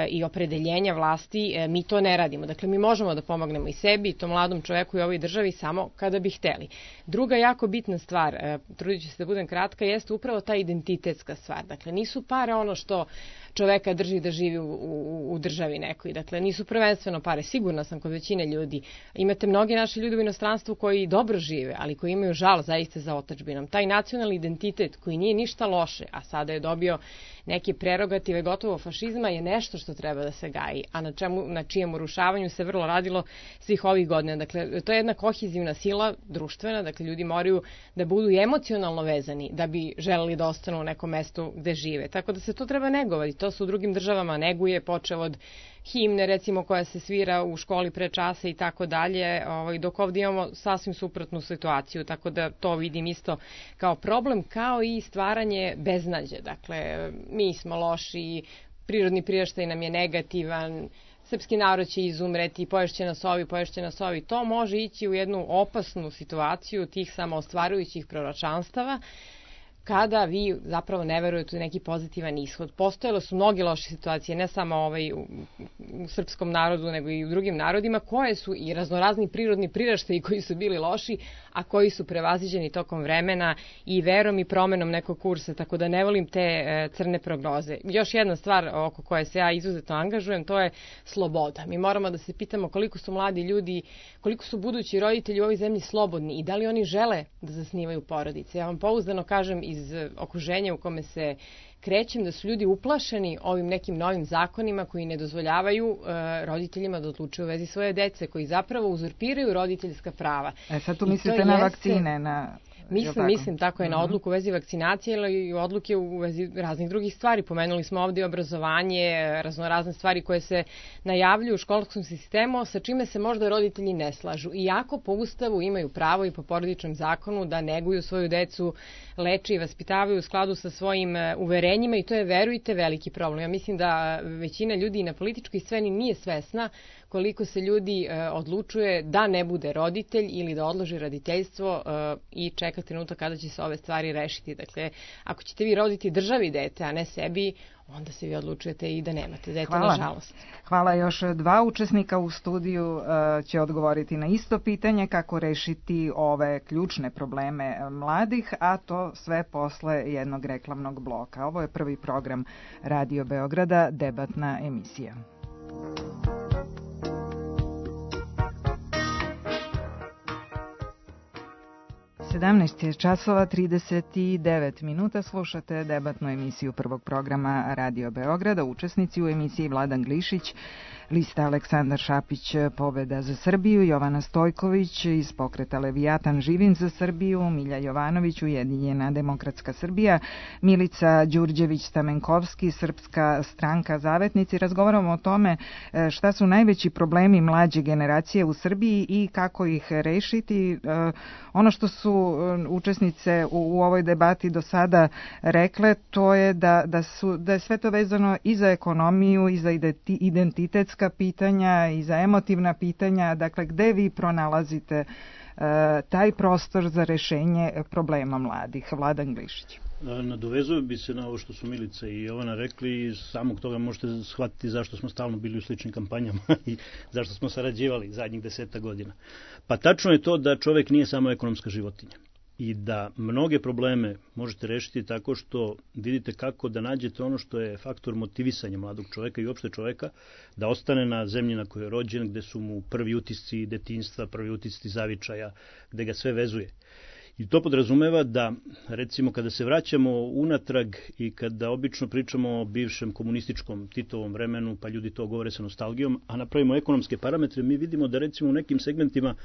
i opredeljenja vlasti. Mi to ne radimo. Dakle, mi možemo da pomognemo i sebi i tom mladom čoveku i ovoj državi samo kada bi hteli. Druga jako bitna stvar, trudit ću se da budem kratka, jeste upravo ta identitetska stvar. Dakle, nisu pare ono što čoveka drži da živi u državi nekoj. Dakle, nisu prvenstveno pare. Sigurna sam kod većine ljudi. Imate mnogi naši ljudi u inostranstvu koji dobro žive, ali koji imaju žal zaista za otadžbinom. Taj nacionalni identitet koji nije ništa loše, a sada je dobio neke prerogative gotovo fašizma, je nešto što treba da se gaji, a na čijem urušavanju se vrlo radilo svih ovih godina. Dakle, to je jedna kohezivna sila društvena, dakle, ljudi moraju da budu emocionalno vezani da bi želeli da ostanu u nekom mestu gde žive. Tako da se to treba negovati. To se u drugim državama neguje, počev od himne, recimo, koja se svira u školi pre časa i tako dalje, dok ovdje imamo sasvim suprotnu situaciju, tako da to vidim isto kao problem, kao i stvaranje beznađe. Dakle, mi smo loši, prirodni priraštaj nam je negativan, srpski narod će izumreti, poješće nas ovi. To može ići u jednu opasnu situaciju tih samoostvarujućih proročanstava, kada vi zapravo ne verujete u neki pozitivan ishod. Postojalo su mnoge loše situacije, ne samo u srpskom narodu, nego i u drugim narodima, koje su i raznorazni prirodni priraštaji koji su bili loši, a koji su prevaziđeni tokom vremena i verom i promenom nekog kursa, tako da ne volim te crne prognoze. Još jedna stvar oko koje se ja izuzetno angažujem, to je sloboda. Mi moramo da se pitamo koliko su mladi ljudi, koliko su budući roditelji u ovoj zemlji slobodni i da li oni žele da zasnivaju porodice. Ja vam pouzdano kažem iz okruženja u kome se krećem da su ljudi uplašeni ovim nekim novim zakonima koji ne dozvoljavaju roditeljima da odlučuju u vezi svoje dece, koji zapravo uzurpiraju roditeljska prava. Sad tu mislite na vakcine, Mislim, tako je, na odluku u vezi vakcinacije ili odluke u vezi raznih drugih stvari. Pomenuli smo ovdje obrazovanje, raznorazne stvari koje se najavljuju u školskom sistemu, sa čime se možda roditelji ne slažu. Iako po Ustavu imaju pravo i po porodičnom zakonu da neguju svoju decu, leče i vaspitavaju u skladu sa svojim uverenjima i to je, verujte, veliki problem. Ja mislim da većina ljudi na političkoj sceni nije svesna koliko se ljudi odlučuje da ne bude roditelj ili da odloži roditeljstvo i čeka trenutak kada će se ove stvari rešiti. Dakle, ako ćete vi roditi državi dete, a ne sebi, onda se vi odlučujete i da nemate dete, nažalost. Hvala. Još dva učesnika u studiju će odgovoriti na isto pitanje kako rešiti ove ključne probleme mladih, a to sve posle jednog reklamnog bloka. Ovo je prvi program Radio Beograda, debatna emisija. 17 časova 39 minuta, slušate debatnu emisiju prvog programa Radio Beograda. Učesnici u emisiji Vladan Glišić, lista Aleksandar Šapić, Pobeda za Srbiju, Jovana Stojković iz pokreta Levijatan, Živim za Srbiju, Milja Jovanović, Ujedinjena demokratska Srbija, Milica Đurđević-Stamenkovski, Srpska stranka Zavetnici. Razgovaramo o tome šta su najveći problemi mlađe generacije u Srbiji i kako ih rešiti. Ono što su učesnice u ovoj debati do sada rekle, to je da je sve to vezano i za ekonomiju i za identitetska pitanja i za emotivna pitanja. Dakle, gde vi pronalazite taj prostor za rešenje problema mladih? Vladan Glišić. Nadovezuje bi se na ovo što su Milica i Jovana rekli i samog toga možete shvatiti zašto smo stalno bili u sličnim kampanjama i zašto smo sarađivali zadnjih 10 godina. Pa tačno je to da čovek nije samo ekonomska životinja i da mnoge probleme možete rešiti tako što vidite kako da nađete ono što je faktor motivisanja mladog čoveka i uopšte čoveka da ostane na zemlji na kojoj je rođen, gde su mu prvi utisci detinjstva, prvi utisci zavičaja, gde ga sve vezuje. I to podrazumeva da, recimo, kada se vraćamo unatrag i kada obično pričamo o bivšem komunističkom Titovom vremenu, pa ljudi to govore sa nostalgijom, a napravimo ekonomske parametre, mi vidimo da, recimo, u nekim segmentima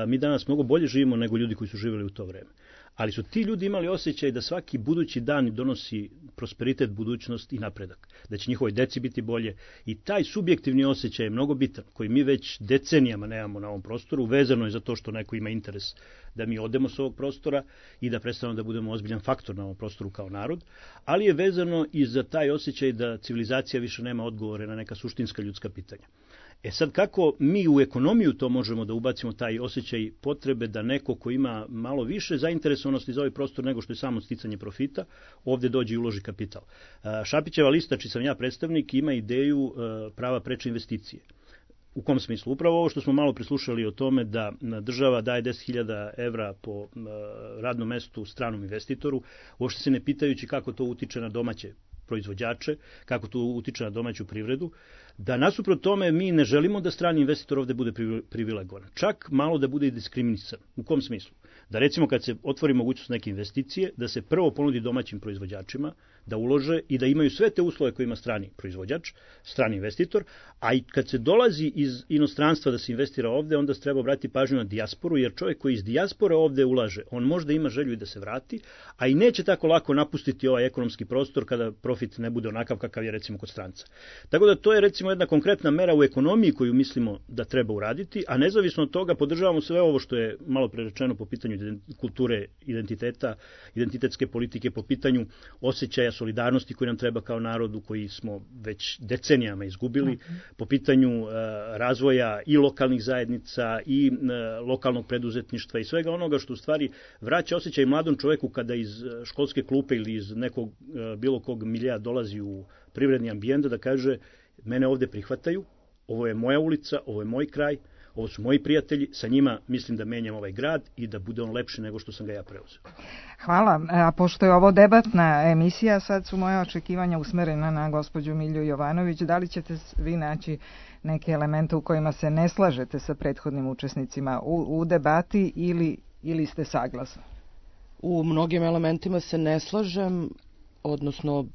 mi danas mnogo bolje živimo nego ljudi koji su živjeli u to vreme. ali su ti ljudi imali osjećaj da svaki budući dan donosi prosperitet, budućnost i napredak, da će njihovoj deci biti bolje i taj subjektivni osjećaj je mnogo bitan, koji mi već decenijama nemamo na ovom prostoru, vezano je za to što neko ima interes da mi odemo s ovog prostora i da predstavimo da budemo ozbiljan faktor na ovom prostoru kao narod, ali je vezano i za taj osjećaj da civilizacija više nema odgovore na neka suštinska ljudska pitanja. Sad, kako mi u ekonomiju to možemo da ubacimo, taj osjećaj potrebe da neko ko ima malo više zainteresovanosti za ovaj prostor nego što je samo sticanje profita, ovde dođe i uloži kapital. Šapićeva lista, čiji sam ja predstavnik, ima ideju prava preče investicije. U kom smislu? Upravo ovo što smo malo prislušali o tome da država daje 10.000 evra po radnom mestu stranom investitoru, uopšte se ne pitajući kako to utiče na domaće proizvođače, kako to utiče na domaću privredu, da nasuprot tome mi ne želimo da strani investitor ovde bude privilegovan. Čak malo da bude i diskriminisan. U kom smislu? Da recimo kad se otvori mogućnost neke investicije, da se prvo ponudi domaćim proizvođačima, da ulože i da imaju sve te uslove koje ima strani proizvođač, strani investitor, a i kad se dolazi iz inostranstva da se investira ovde, onda se treba obratiti pažnju na dijasporu, jer čovjek koji iz dijaspore ovde ulaže, on možda ima želju i da se vrati, a i neće tako lako napustiti ovaj ekonomski prostor kada profit ne bude onakav kakav je recimo kod stranca. Tako da to je recimo jedna konkretna mera u ekonomiji koju mislimo da treba uraditi, a nezavisno od toga podržavamo sve ovo što je malo pre rečeno po pitanju kulture identiteta, identitetske politike, po pitanju osjećaja solidarnosti koji nam treba kao narodu, koji smo već decenijama izgubili, po pitanju razvoja i lokalnih zajednica i lokalnog preduzetništva i svega onoga što u stvari vraća osjećaj mladom čoveku kada iz školske klupe ili iz nekog bilo kog milija dolazi u privredni ambijent da kaže mene ovde prihvataju, ovo je moja ulica, ovo je moj kraj, ovo su moji prijatelji, sa njima mislim da menjam ovaj grad i da bude on lepši nego što sam ga ja preuzeo. Hvala. A pošto je ovo debatna emisija, sad su moje očekivanja usmerena na gospođu Milju Jovanović. Da li ćete vi naći neke elemente u kojima se ne slažete sa prethodnim učesnicima u debati ili ste saglasni? U mnogim elementima se ne slažem, odnosno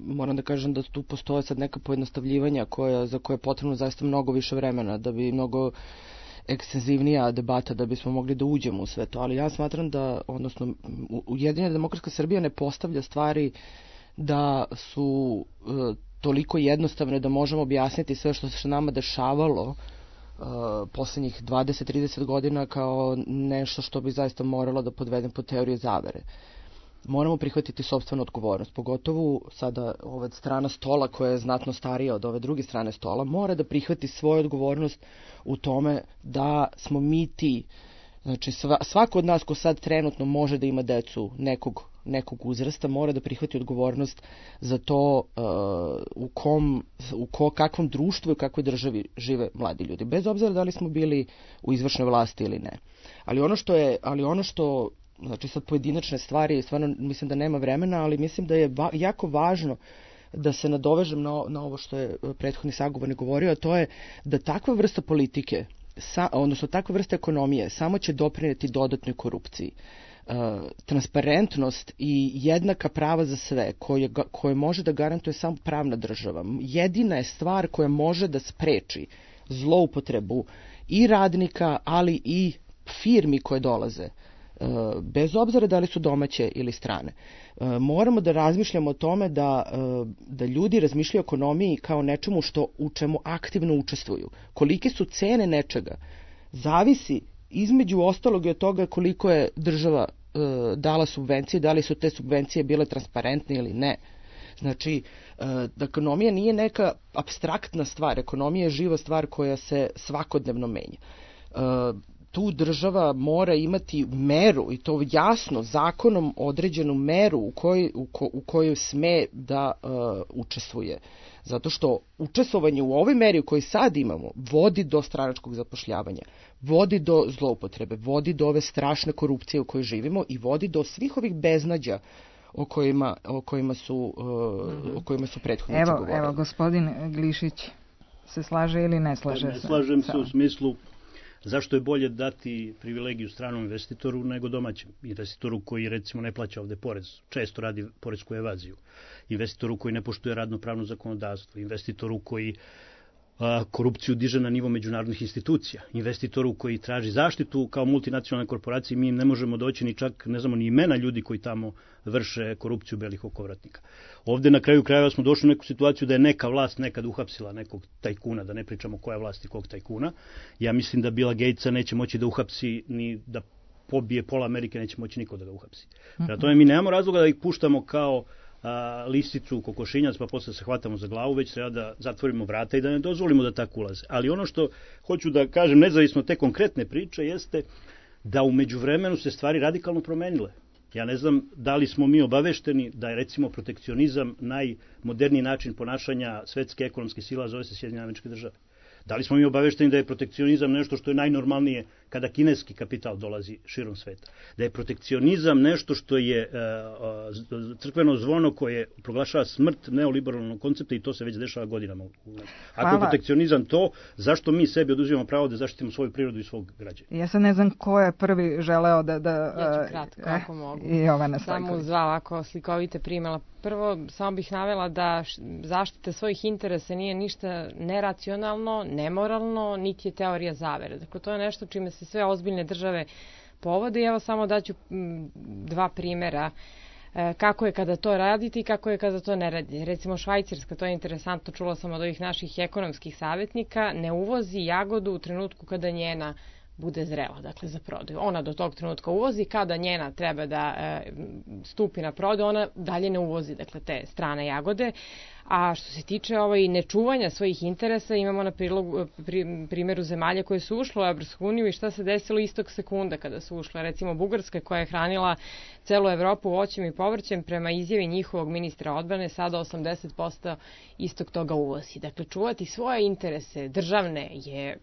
moram da kažem da tu postoje sad neka pojednostavljivanja za koje je potrebno zaista mnogo više vremena, da bi mnogo ekstenzivnija debata da bismo mogli da uđemo u sve to, ali ja smatram da, odnosno, Ujedinjena demokratska Srbija ne postavlja stvari da su toliko jednostavne da možemo objasniti sve što se nama dešavalo poslednjih 20-30 godina kao nešto što bi zaista moralo da podvedem pod teorije zavere. Moramo prihvatiti sopstvenu odgovornost, pogotovo sada ova strana stola koja je znatno starija od ove druge strane stola, mora da prihvati svoju odgovornost u tome da smo mi ti, znači svako od nas ko sad trenutno može da ima decu nekog uzrasta, mora da prihvati odgovornost za to u kakvom društvu i u kakvoj državi žive mladi ljudi, bez obzira da li smo bili u izvršnoj vlasti ili ne. Ali ono što znači sad pojedinačne stvari, stvarno mislim da nema vremena, ali mislim da je jako važno da se nadovežem na ovo što je prethodni sagovornik govorio, a to je da takva vrsta politike, odnosno takva vrsta ekonomije, samo će doprineti dodatnoj korupciji. Transparentnost i jednaka prava za sve, koje može da garantuje samo pravna država, jedina je stvar koja može da spreči zloupotrebu i radnika, ali i firmi koje dolaze, bez obzira da li su domaće ili strane. Moramo da razmišljamo o tome da ljudi razmišljaju o ekonomiji kao nečemu u čemu aktivno učestvuju. Kolike su cene nečega zavisi između ostalog i od toga koliko je država dala subvencije, da li su te subvencije bile transparentne ili ne. Znači, ekonomija nije neka apstraktna stvar, ekonomija je živa stvar koja se svakodnevno menja. Tu država mora imati meru, i to jasno, zakonom određenu meru u kojoj sme da učestvuje. Zato što učestvovanje u ovoj meri koju sad imamo vodi do stranačkog zapošljavanja, vodi do zloupotrebe, vodi do ove strašne korupcije u kojoj živimo i vodi do svih ovih beznađa o kojima su prethodnici govorili. Evo, gospodin Glišić se slaže ili ne slaže? Ne slažem se u smislu zašto je bolje dati privilegiju stranom investitoru nego domaćem investitoru koji recimo ne plaća ovde porez, često radi poresku evaziju, investitoru koji ne poštuje radno-pravno zakonodavstvo, investitoru koji korupciju diže na nivo međunarodnih institucija. Investitoru koji traži zaštitu kao multinacionalne korporacije, mi ne možemo doći ni čak, ne znamo ni imena ljudi koji tamo vrše korupciju belih okovratnika. Ovde na kraju krajeva smo došli u neku situaciju da je neka vlast nekad uhapsila nekog tajkuna, da ne pričamo koja vlast i kog tajkuna. Ja mislim da Billa Gatesa neće moći da uhapsi ni da pobije pola Amerike, neće moći niko da ga uhapsi. Prema tome mi nemamo razloga da ih puštamo kao lisicu, kokošinjac, pa posle se hvatamo za glavu, već treba da zatvorimo vrata i da ne dozvolimo da tako ulaze. Ali ono što hoću da kažem, nezavisno te konkretne priče, jeste da u međuvremenu se stvari radikalno promenile. Ja ne znam da li smo mi obavešteni da je recimo protekcionizam najmoderniji način ponašanja svetske ekonomske sila, zove se Sjedinjene Američke Države. Da li smo mi obavešteni da je protekcionizam nešto što je najnormalnije kada kineski kapital dolazi širom sveta? Da je protekcionizam nešto što je crkveno zvono koje proglašava smrt neoliberalnog koncepta i to se već dešava godinama. Ako je protekcionizam to, zašto mi sebi oduzimamo pravo da zaštitimo svoju prirodu i svog građana? Ja se ne znam ko je prvi želeo da... Ja ću kratko, ako mogu. Samo uz dva ovako slikovite primjela. Prvo, samo bih navela da zaštita svojih interesa nije ništa neracionalno, nemoralno, niti je teorija zavere. Dakle, to je nešto čime se sve ozbiljne države povode i evo samo daću dva primjera kako je kada to radite i kako je kada to ne radi. Recimo Švajcarska, to je interesantno, čula sam od ovih naših ekonomskih savjetnika, ne uvozi jagodu u trenutku kada njena bude zrela, dakle za prodaju. Ona do tog trenutka uvozi, kada njena treba da stupi na prodaju, ona dalje ne uvozi, dakle te strane jagode. A što se tiče nečuvanja svojih interesa, imamo na primjeru zemalja koje su ušle u Evropsku uniju i šta se desilo istog sekunda kada su ušle. Recimo Bugarska koja je hranila celu Evropu voćem i povrćem, prema izjavi njihovog ministra odbrane, sada 80% istog toga uvozi. Dakle, čuvati svoje interese državne je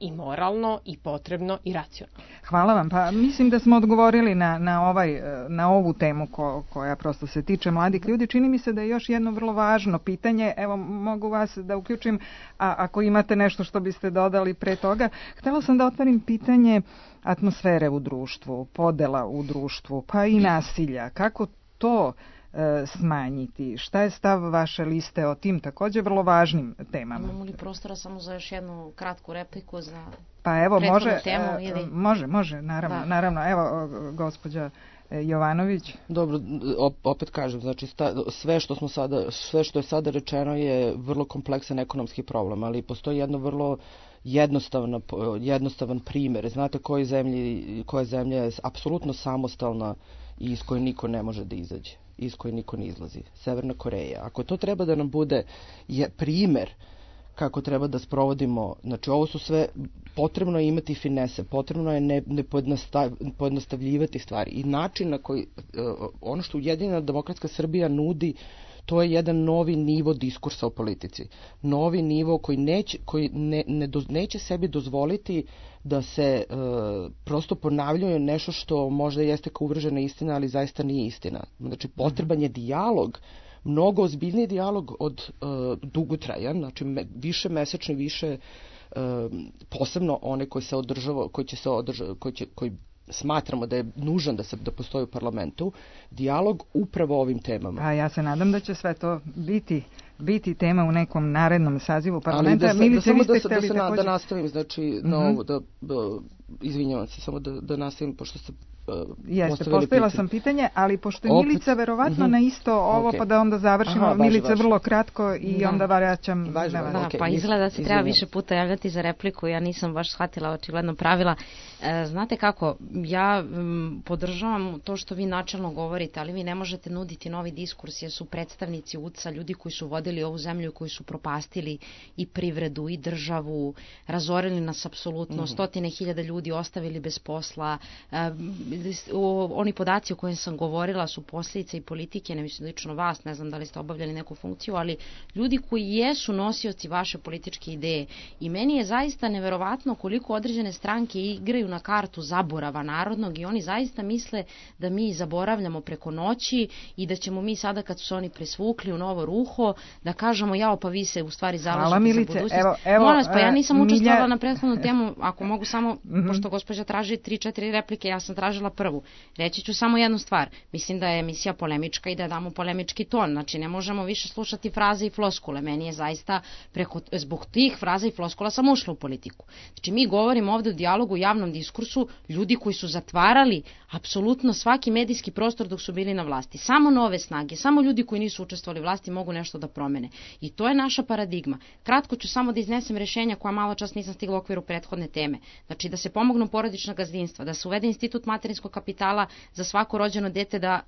i moralno, i potrebno, i racionalno. Hvala vam. Pa mislim da smo odgovorili na ovu temu koja prosto se tiče mladih ljudi. Čini mi se da je još jedno vrlo važno pitanje. Evo, mogu vas da uključim, a ako imate nešto što biste dodali pre toga. Htela sam da otvorim pitanje atmosfere u društvu, podela u društvu, pa i nasilja. Kako to smanjiti? Šta je stav vaše liste o tim također vrlo važnim temama? Imamo li prostora samo za još jednu kratku repliku za pa evo, temu? Može, naravno. Evo, gospođa Jovanović. Dobro, opet kažem, znači sve što je sada rečeno je vrlo kompleksan ekonomski problem, ali postoji jedno vrlo jednostavan primjer. Znate koja zemlja je apsolutno samostalna i iz koje niko ne može da izađe, iz koje niko ne izlazi? Severna Koreja. Ako to treba da nam bude primjer kako treba da sprovodimo, znači ovo su sve, potrebno je imati finese, potrebno je ne pojednostavljivati stvari i način na koji ono što Ujedinjena demokratska Srbija nudi, to je jedan novi nivo diskursa o politici. Novi nivo koji neće sebi dozvoliti da se prosto ponavljaju nešto što možda jeste kao uvržena istina, ali zaista nije istina. Znači, potreban je dijalog, mnogo ozbiljniji dijalog od dugotrajan, znači više mesečni, više posebno one koji smatramo da je nužan da postoji u parlamentu, dijalog upravo o ovim temama. A ja se nadam da će sve to biti tema u nekom narednom sazivu parlamenta. Ali da nastavim, znači, izvinjavam se, samo da nastavim, pošto ste postavila sam pitanje, ali pošto je Milica verovatno na isto ovo, pa da onda završimo. Milica vrlo kratko i onda vraćam na vas. Pa izgleda da se treba više puta javljati za repliku, ja nisam baš shvatila očigledno pravila. Znate kako, ja podržavam to što vi načelno govorite, ali vi ne možete nuditi novi diskurs, jer su predstavnici UDS-a, ljudi koji su vodili ovu zemlju, koji su propastili i privredu i državu, razorili nas apsolutno, stotine hiljada ljudi ostavili bez posla. Oni podaci o kojim sam govorila su posljedice i politike, ne mislim lično vas, ne znam da li ste obavljali neku funkciju, ali ljudi koji jesu nosioci vaše političke ideje. I meni je zaista neverovatno koliko određene stranke igraju na kartu zaborava narodnog i oni zaista misle da mi zaboravljamo preko noći i da ćemo mi sada kad su se oni presvukli u novo ruho da kažemo jao pa vi se u stvari zalažete za budućnost. Molim vas, pa ja nisam učestvovala na prethodnu temu, ako mogu samo, pošto gospođa traži 3-4 replike, ja sam tražila počela prvu. Reći ću samo jednu stvar. Mislim da je emisija polemička i da damo polemički ton. Znači, ne možemo više slušati fraze i floskule. Meni je zaista zbog tih fraza i floskula sam ušla u politiku. Znači, mi govorimo ovde o dijalogu, javnom diskursu, ljudi koji su zatvarali apsolutno svaki medijski prostor dok su bili na vlasti. Samo nove snage, samo ljudi koji nisu učestvovali u vlasti mogu nešto da promene. I to je naša paradigma. Kratko ću samo da iznesem rešenja koja malo čas nisam stigla u okviru prethodne teme. Znači, da se pomognu porodična gazdinstva, da se uvede institut materinskog kapitala za svako rođeno dete da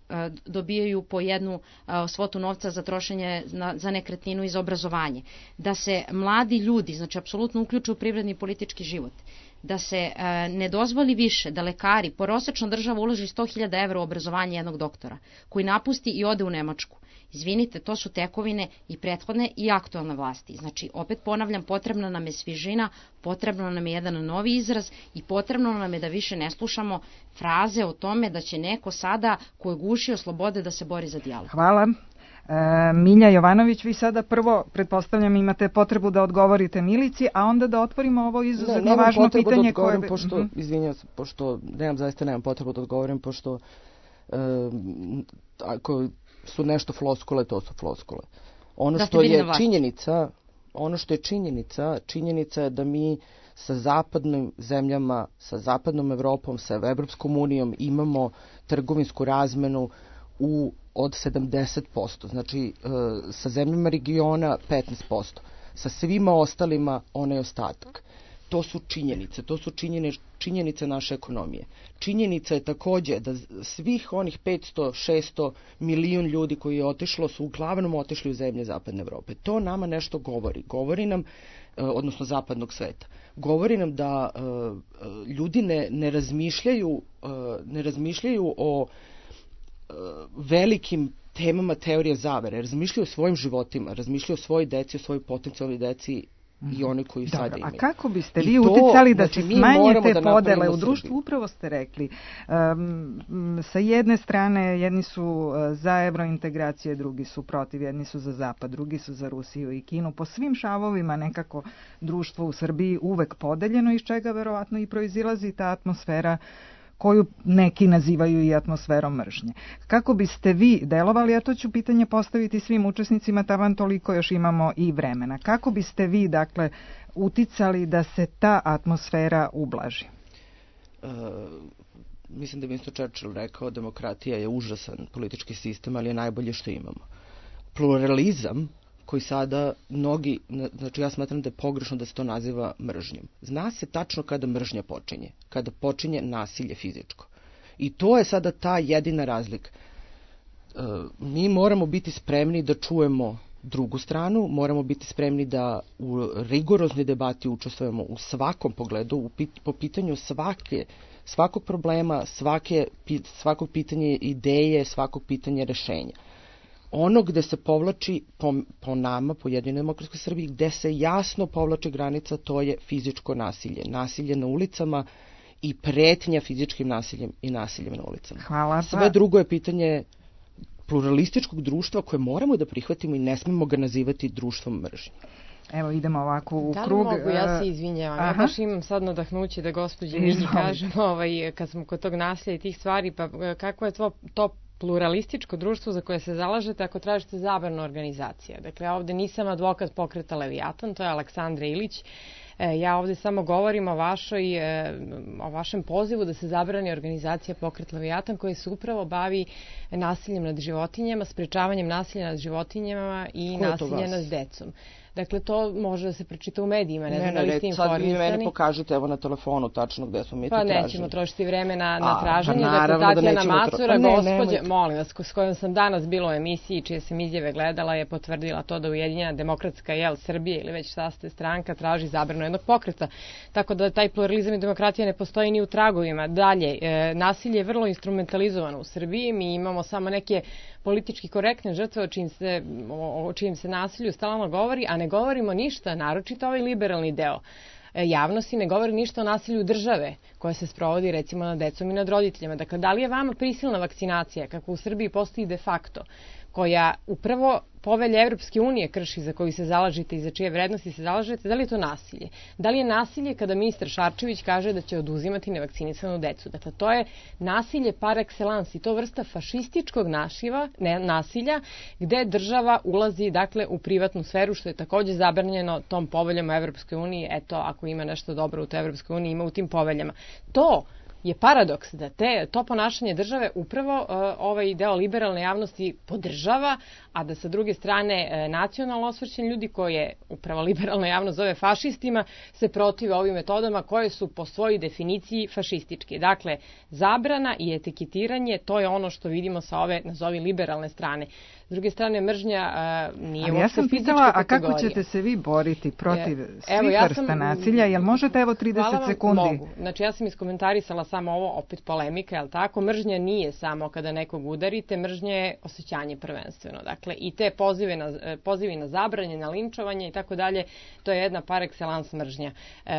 dobijaju po jednu svotu novca za trošenje za nekretninu i za obrazovanje, da se mladi ljudi, znači apsolutno uključuju u privredni i politički život, da se ne dozvoli više da lekari, prosečna država uloži 100.000 evra u obrazovanje jednog doktora, koji napusti i ode u Nemačku. Izvinite, to su tekovine i prethodne i aktualne vlasti. Znači, opet ponavljam, potrebna nam je svižina, potrebno nam je jedan novi izraz i potrebno nam je da više ne slušamo fraze o tome da će neko sada ko je gušio slobode da se bori za dijalog. Hvala. Milja Jovanović, vi sada prvo, pretpostavljam, imate potrebu da odgovorite Milici, a onda da otvorimo ovo izuzetno važno pitanje koje... Izvinjam se, pošto nemam potrebu da odgovorim, pošto ako su nešto floskule, to su floskule. Ono što je činjenica je da mi sa zapadnim zemljama, sa zapadnom Evropom, sa Evropskom unijom imamo trgovinsku razmenu od 70%, znači sa zemljama regiona 15%, sa svima ostalima onaj ostatak. To su činjenice naše ekonomije. Činjenica je takođe da svih onih 500-600 milijun ljudi koji je otišlo su uglavnom otišli u zemlje zapadne Evrope. To nama nešto govori nam, odnosno zapadnog sveta. Govori nam da ljudi ne razmišljaju o velikim temama teorije zavere, razmišljaju o svojim životima, razmišljaju o svojoj deci, o svojoj potencijalnoj deci i oni koji sada imaju. A kako biste vi uticali da se smanje te podele u društvu? Upravo ste rekli. Sa jedne strane, jedni su za evrointegracije, drugi su protiv, jedni su za Zapad, drugi su za Rusiju i Kinu. Po svim šavovima nekako društvo u Srbiji uvek podeljeno, iz čega verovatno i proizilazi ta atmosfera koju neki nazivaju i atmosferom mržnje. Kako biste vi delovali, a to ću pitanje postaviti svim učesnicima, taman toliko još imamo i vremena. Kako biste vi, dakle, uticali da se ta atmosfera ublaži? Mislim da je Winston Churchill rekao, demokratija je užasan politički sistem, ali je najbolje što imamo. Pluralizam koji sada znači ja smatram da je pogrešno da se to naziva mržnjom. Zna se tačno kada mržnja počinje, kada počinje nasilje fizičko. I to je sada ta jedina razlika. Mi moramo biti spremni da čujemo drugu stranu, moramo biti spremni da u rigoroznoj debati učestvujemo u svakom pogledu, po pitanju svakog problema, svakog pitanja ideje, svakog pitanja rešenja. Ono gde se povlači po nama, po Jedinoj demokratskoj Srbiji, gde se jasno povlači granica, to je fizičko nasilje. Nasilje na ulicama i pretnja fizičkim nasiljem i nasiljem na ulicama. Hvala. Sve drugo je pitanje pluralističkog društva koje moramo da prihvatimo i ne smemo ga nazivati društvom mržnje. Evo, idemo ovako u krug. Da li mogu, ja se izvinjavam. Ja baš imam sad nadahnuće da gospođi Milji kažem, kad smo kod tog nasilja i tih stvari, pa kako je to pluralističko društvo za koje se zalažete ako tražite zabranu organizacija. Dakle, ovde nisam advokat pokreta Leviatan, to je Aleksandra Ilić. Ja ovde samo govorim o vašem pozivu da se zabrani organizacija Pokret Leviatan koja se upravo bavi nasiljem nad životinjama, sprečavanjem nasilja nad životinjama i nasilja nad decom. Dakle, to može da se pročita u medijima, ne znam da li ste informisani. Sad vi meni pokažete evo na telefonu tačno gde smo mi to tražili. Pa nećemo trošiti vreme na traženje. Dakle, Tatjana Macura, gospođa, molim vas, s kojom sam danas bila u emisiji, čije sam izjave gledala, je potvrdila to da Ujedinjena demokratska Srbije ili već šta ste stranka traži zabranu jednog pokreta. Tako da taj pluralizam i demokratija ne postoji ni u tragovima. Dalje, nasilje je vrlo instrumentalizovano u Srbiji. Mi imamo samo neke politički korektne žrtve o čijem se nasilju stalno govori, a ne govorimo ništa, naročito ovaj liberalni deo javnosti, ne govori ništa o nasilju države koja se sprovodi recimo nad decom i nad roditeljima. Dakle, da li je vama prisilna vakcinacija, kako u Srbiji postoji de facto, koja upravo povelje Evropske unije krši, za koju se zalažete i za čije vrednosti se zalažete, da li je to nasilje? Da li je nasilje kada ministar Šarčević kaže da će oduzimati nevakcinisanu decu? Dakle, to je nasilje par excellence i to vrsta fašističkog nasilja gde država ulazi dakle u privatnu sferu, što je takođe zabranjeno tom poveljama Evropske unije. Eto, ako ima nešto dobro u toj Evropskoj uniji, ima u tim poveljama. To je paradoks da to ponašanje države upravo ovaj deo liberalne javnosti podržava, a da sa druge strane nacionalno osvrćeni ljudi koje upravo liberalna javnost zove fašistima se protive ovim metodama koje su po svojoj definiciji fašističke. Dakle, zabrana i etiketiranje, to je ono što vidimo sa ove, nazovi, liberalne strane. S druge strane, mržnja nije uopšte fizička kategorija. A kako ćete se vi boriti protiv svih vrsta nasilja? Jel možete 30 sekundi? Mogu. Znači, ja sam iskomentarisala samo ovo, opet polemika, jel tako? Mržnja nije samo kada nekog udarite, mržnja je osjećanje prvenstveno. Dakle, i te pozivi na zabranje, na linčovanje i tako dalje, to je jedna par excellence mržnja.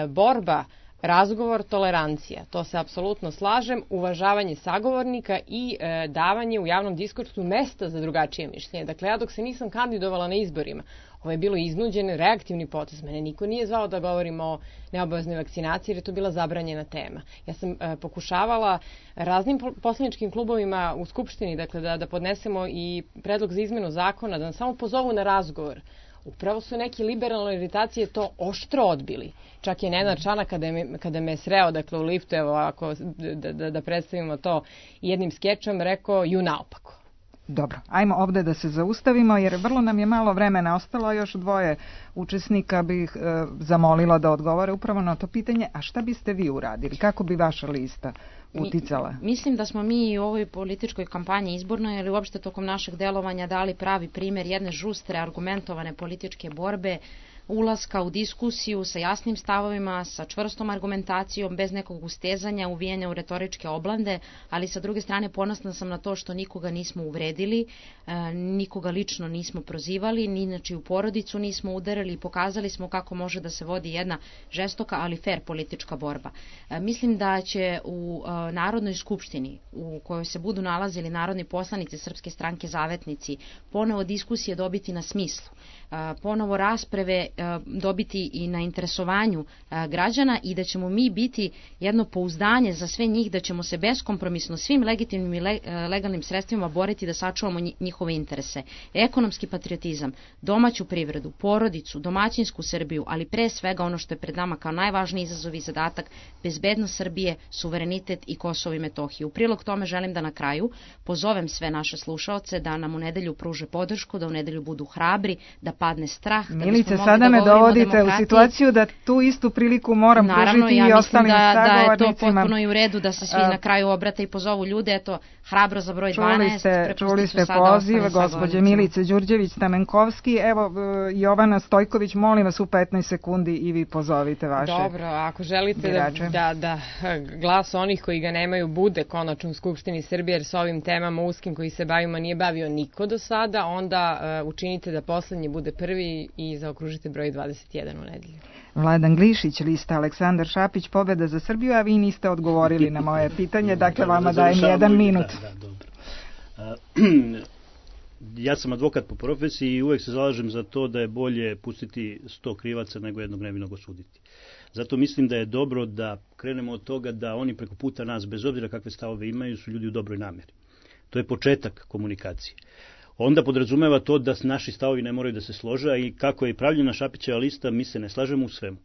Borba, razgovor, tolerancija, to se apsolutno slažem, uvažavanje sagovornika i davanje u javnom diskursu mesta za drugačije mišljenje. Dakle, ja dok se nisam kandidovala na izborima, ovo je bilo iznuđen reaktivni potez. Mene niko nije zvao da govorimo o neobaveznoj vakcinaciji jer je to bila zabranjena tema. Ja sam pokušavala raznim poslaničkim klubovima u Skupštini, dakle, da podnesemo i predlog za izmenu zakona, da nas samo pozovu na razgovor. Upravo su neki liberalne iritacije to oštro odbili. Čak je Nenad Čanak kada me sreo, dakle, u liftu, evo, ako da predstavimo to jednim skečom, rekao ju naopako. Dobro, ajmo ovde da se zaustavimo jer vrlo nam je malo vremena ostalo, još 2 učesnika bih zamolila da odgovore upravo na to pitanje, a šta biste vi uradili? Kako bi vaša lista uticala? Mislim da smo mi u ovoj političkoj kampanji izbornoj ili uopšte tokom našeg delovanja dali pravi primer jedne žustre, argumentovane političke borbe, ulaska u diskusiju sa jasnim stavovima, sa čvrstom argumentacijom, bez nekog ustezanja, uvijanja u retoričke oblande, ali sa druge strane ponosna sam na to što nikoga nismo uvredili, nikoga lično nismo prozivali, ni inače u porodicu nismo udarili i pokazali smo kako može da se vodi jedna žestoka, ali fair politička borba. Mislim da će u Narodnoj skupštini, u kojoj se budu nalazili narodni poslanici Srpske stranke Zavetnici, ponovo diskusije dobiti na smislu, ponovo rasprave dobiti i na interesovanju građana i da ćemo mi biti jedno pouzdanje za sve njih, da ćemo se beskompromisno svim legitimnim i legalnim sredstvima boriti da sačuvamo njihove interese. Ekonomski patriotizam, domaću privredu, porodicu, domaćinsku Srbiju, ali pre svega ono što je pred nama kao najvažniji izazov i zadatak, bezbednost Srbije, suverenitet i Kosovo i Metohiju. U prilog tome želim da na kraju pozovem sve naše slušaoce da nam u nedelju pruže podršku, da u nedelju budu hrabri, da padne strah. Milice, sada me dovodite u situaciju da tu istu priliku moram pružiti i ostalim sagovornicima. Naravno, ja mislim da je to potpuno i u redu da se svi na kraju obrate i pozovu ljude. Eto, hrabro za broj 12. Čuli ste poziv gospođe Milice Đurđević-Stamenkovski. Evo, Jovana Stojković, molim vas u 15 sekundi i vi pozovite vaše birače. Dobro, ako želite da glas onih koji ga nemaju bude konačno u Skupštini Srbije, jer s ovim temama uskim koji se bavimo nije bavio niko do sada, onda učinite da poslednji bude prvi i zaokružite broj 21 u nedelju. Vladan Glišić, lista Aleksandar Šapić, Pobeda za Srbiju, a vi niste odgovorili na moje pitanje, dakle vama dajem 1 minut. Ja sam advokat po profesiji i uvek se zalažem za to da je bolje pustiti 100 krivaca nego jednog nevinog osuditi. Zato mislim da je dobro da krenemo od toga da oni preko puta nas, bez obzira kakve stavove imaju, su ljudi u dobroj nameri. To je početak komunikacije. Onda podrazumeva to da naši stavovi ne moraju da se slože, a i kako je pravljena Šapićeva lista, mi se ne slažemo u svemu.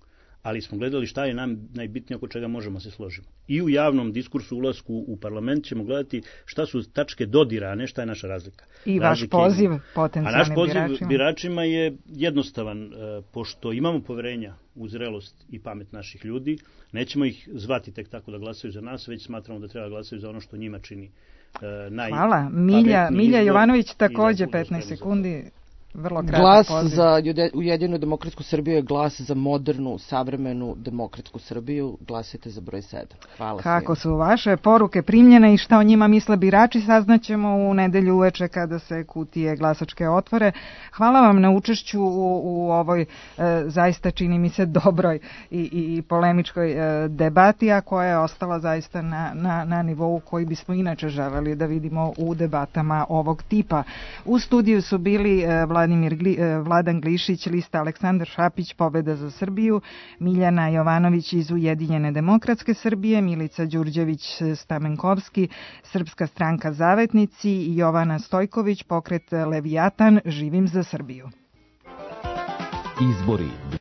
Ali smo gledali šta je nam najbitnije oko čega možemo se složiti. I u javnom diskursu ulasku u parlament ćemo gledati šta su tačke dodira, a ne šta je naša razlika. I vaš poziv potencijalnim biračima? A naš poziv biračima je jednostavan. Pošto imamo poverenja u zrelost i pamet naših ljudi, nećemo ih zvati tek tako da glasaju za nas, već smatramo da treba glasaju za ono što njima čini Hvala. Milja Jovanović takođe 15 sekundi. Glas za Ujedinjenu demokratsku Srbiju je glas za modernu, savremenu demokratsku Srbiju. Glasite za broj 7. Hvala. Kako su vaše poruke primljene i šta o njima misle birači, saznaćemo u nedelju uveče kada se kutije glasačke otvore. Hvala vam na učešću u ovoj zaista čini mi se dobroj i polemičkoj debati, a koja je ostala zaista na nivou koji bismo inače želeli da vidimo u debatama ovog tipa. U studiju su bili Vladan Vladan Glišić, lista Aleksandar Šapić, Pobeda za Srbiju, Miljana Jovanović iz Ujedinjene demokratske Srbije, Milica Đurđević Stamenkovski, Srpska stranka Zavetnici i Jovana Stojković, pokret Levijatan, Živim za Srbiju. Izbori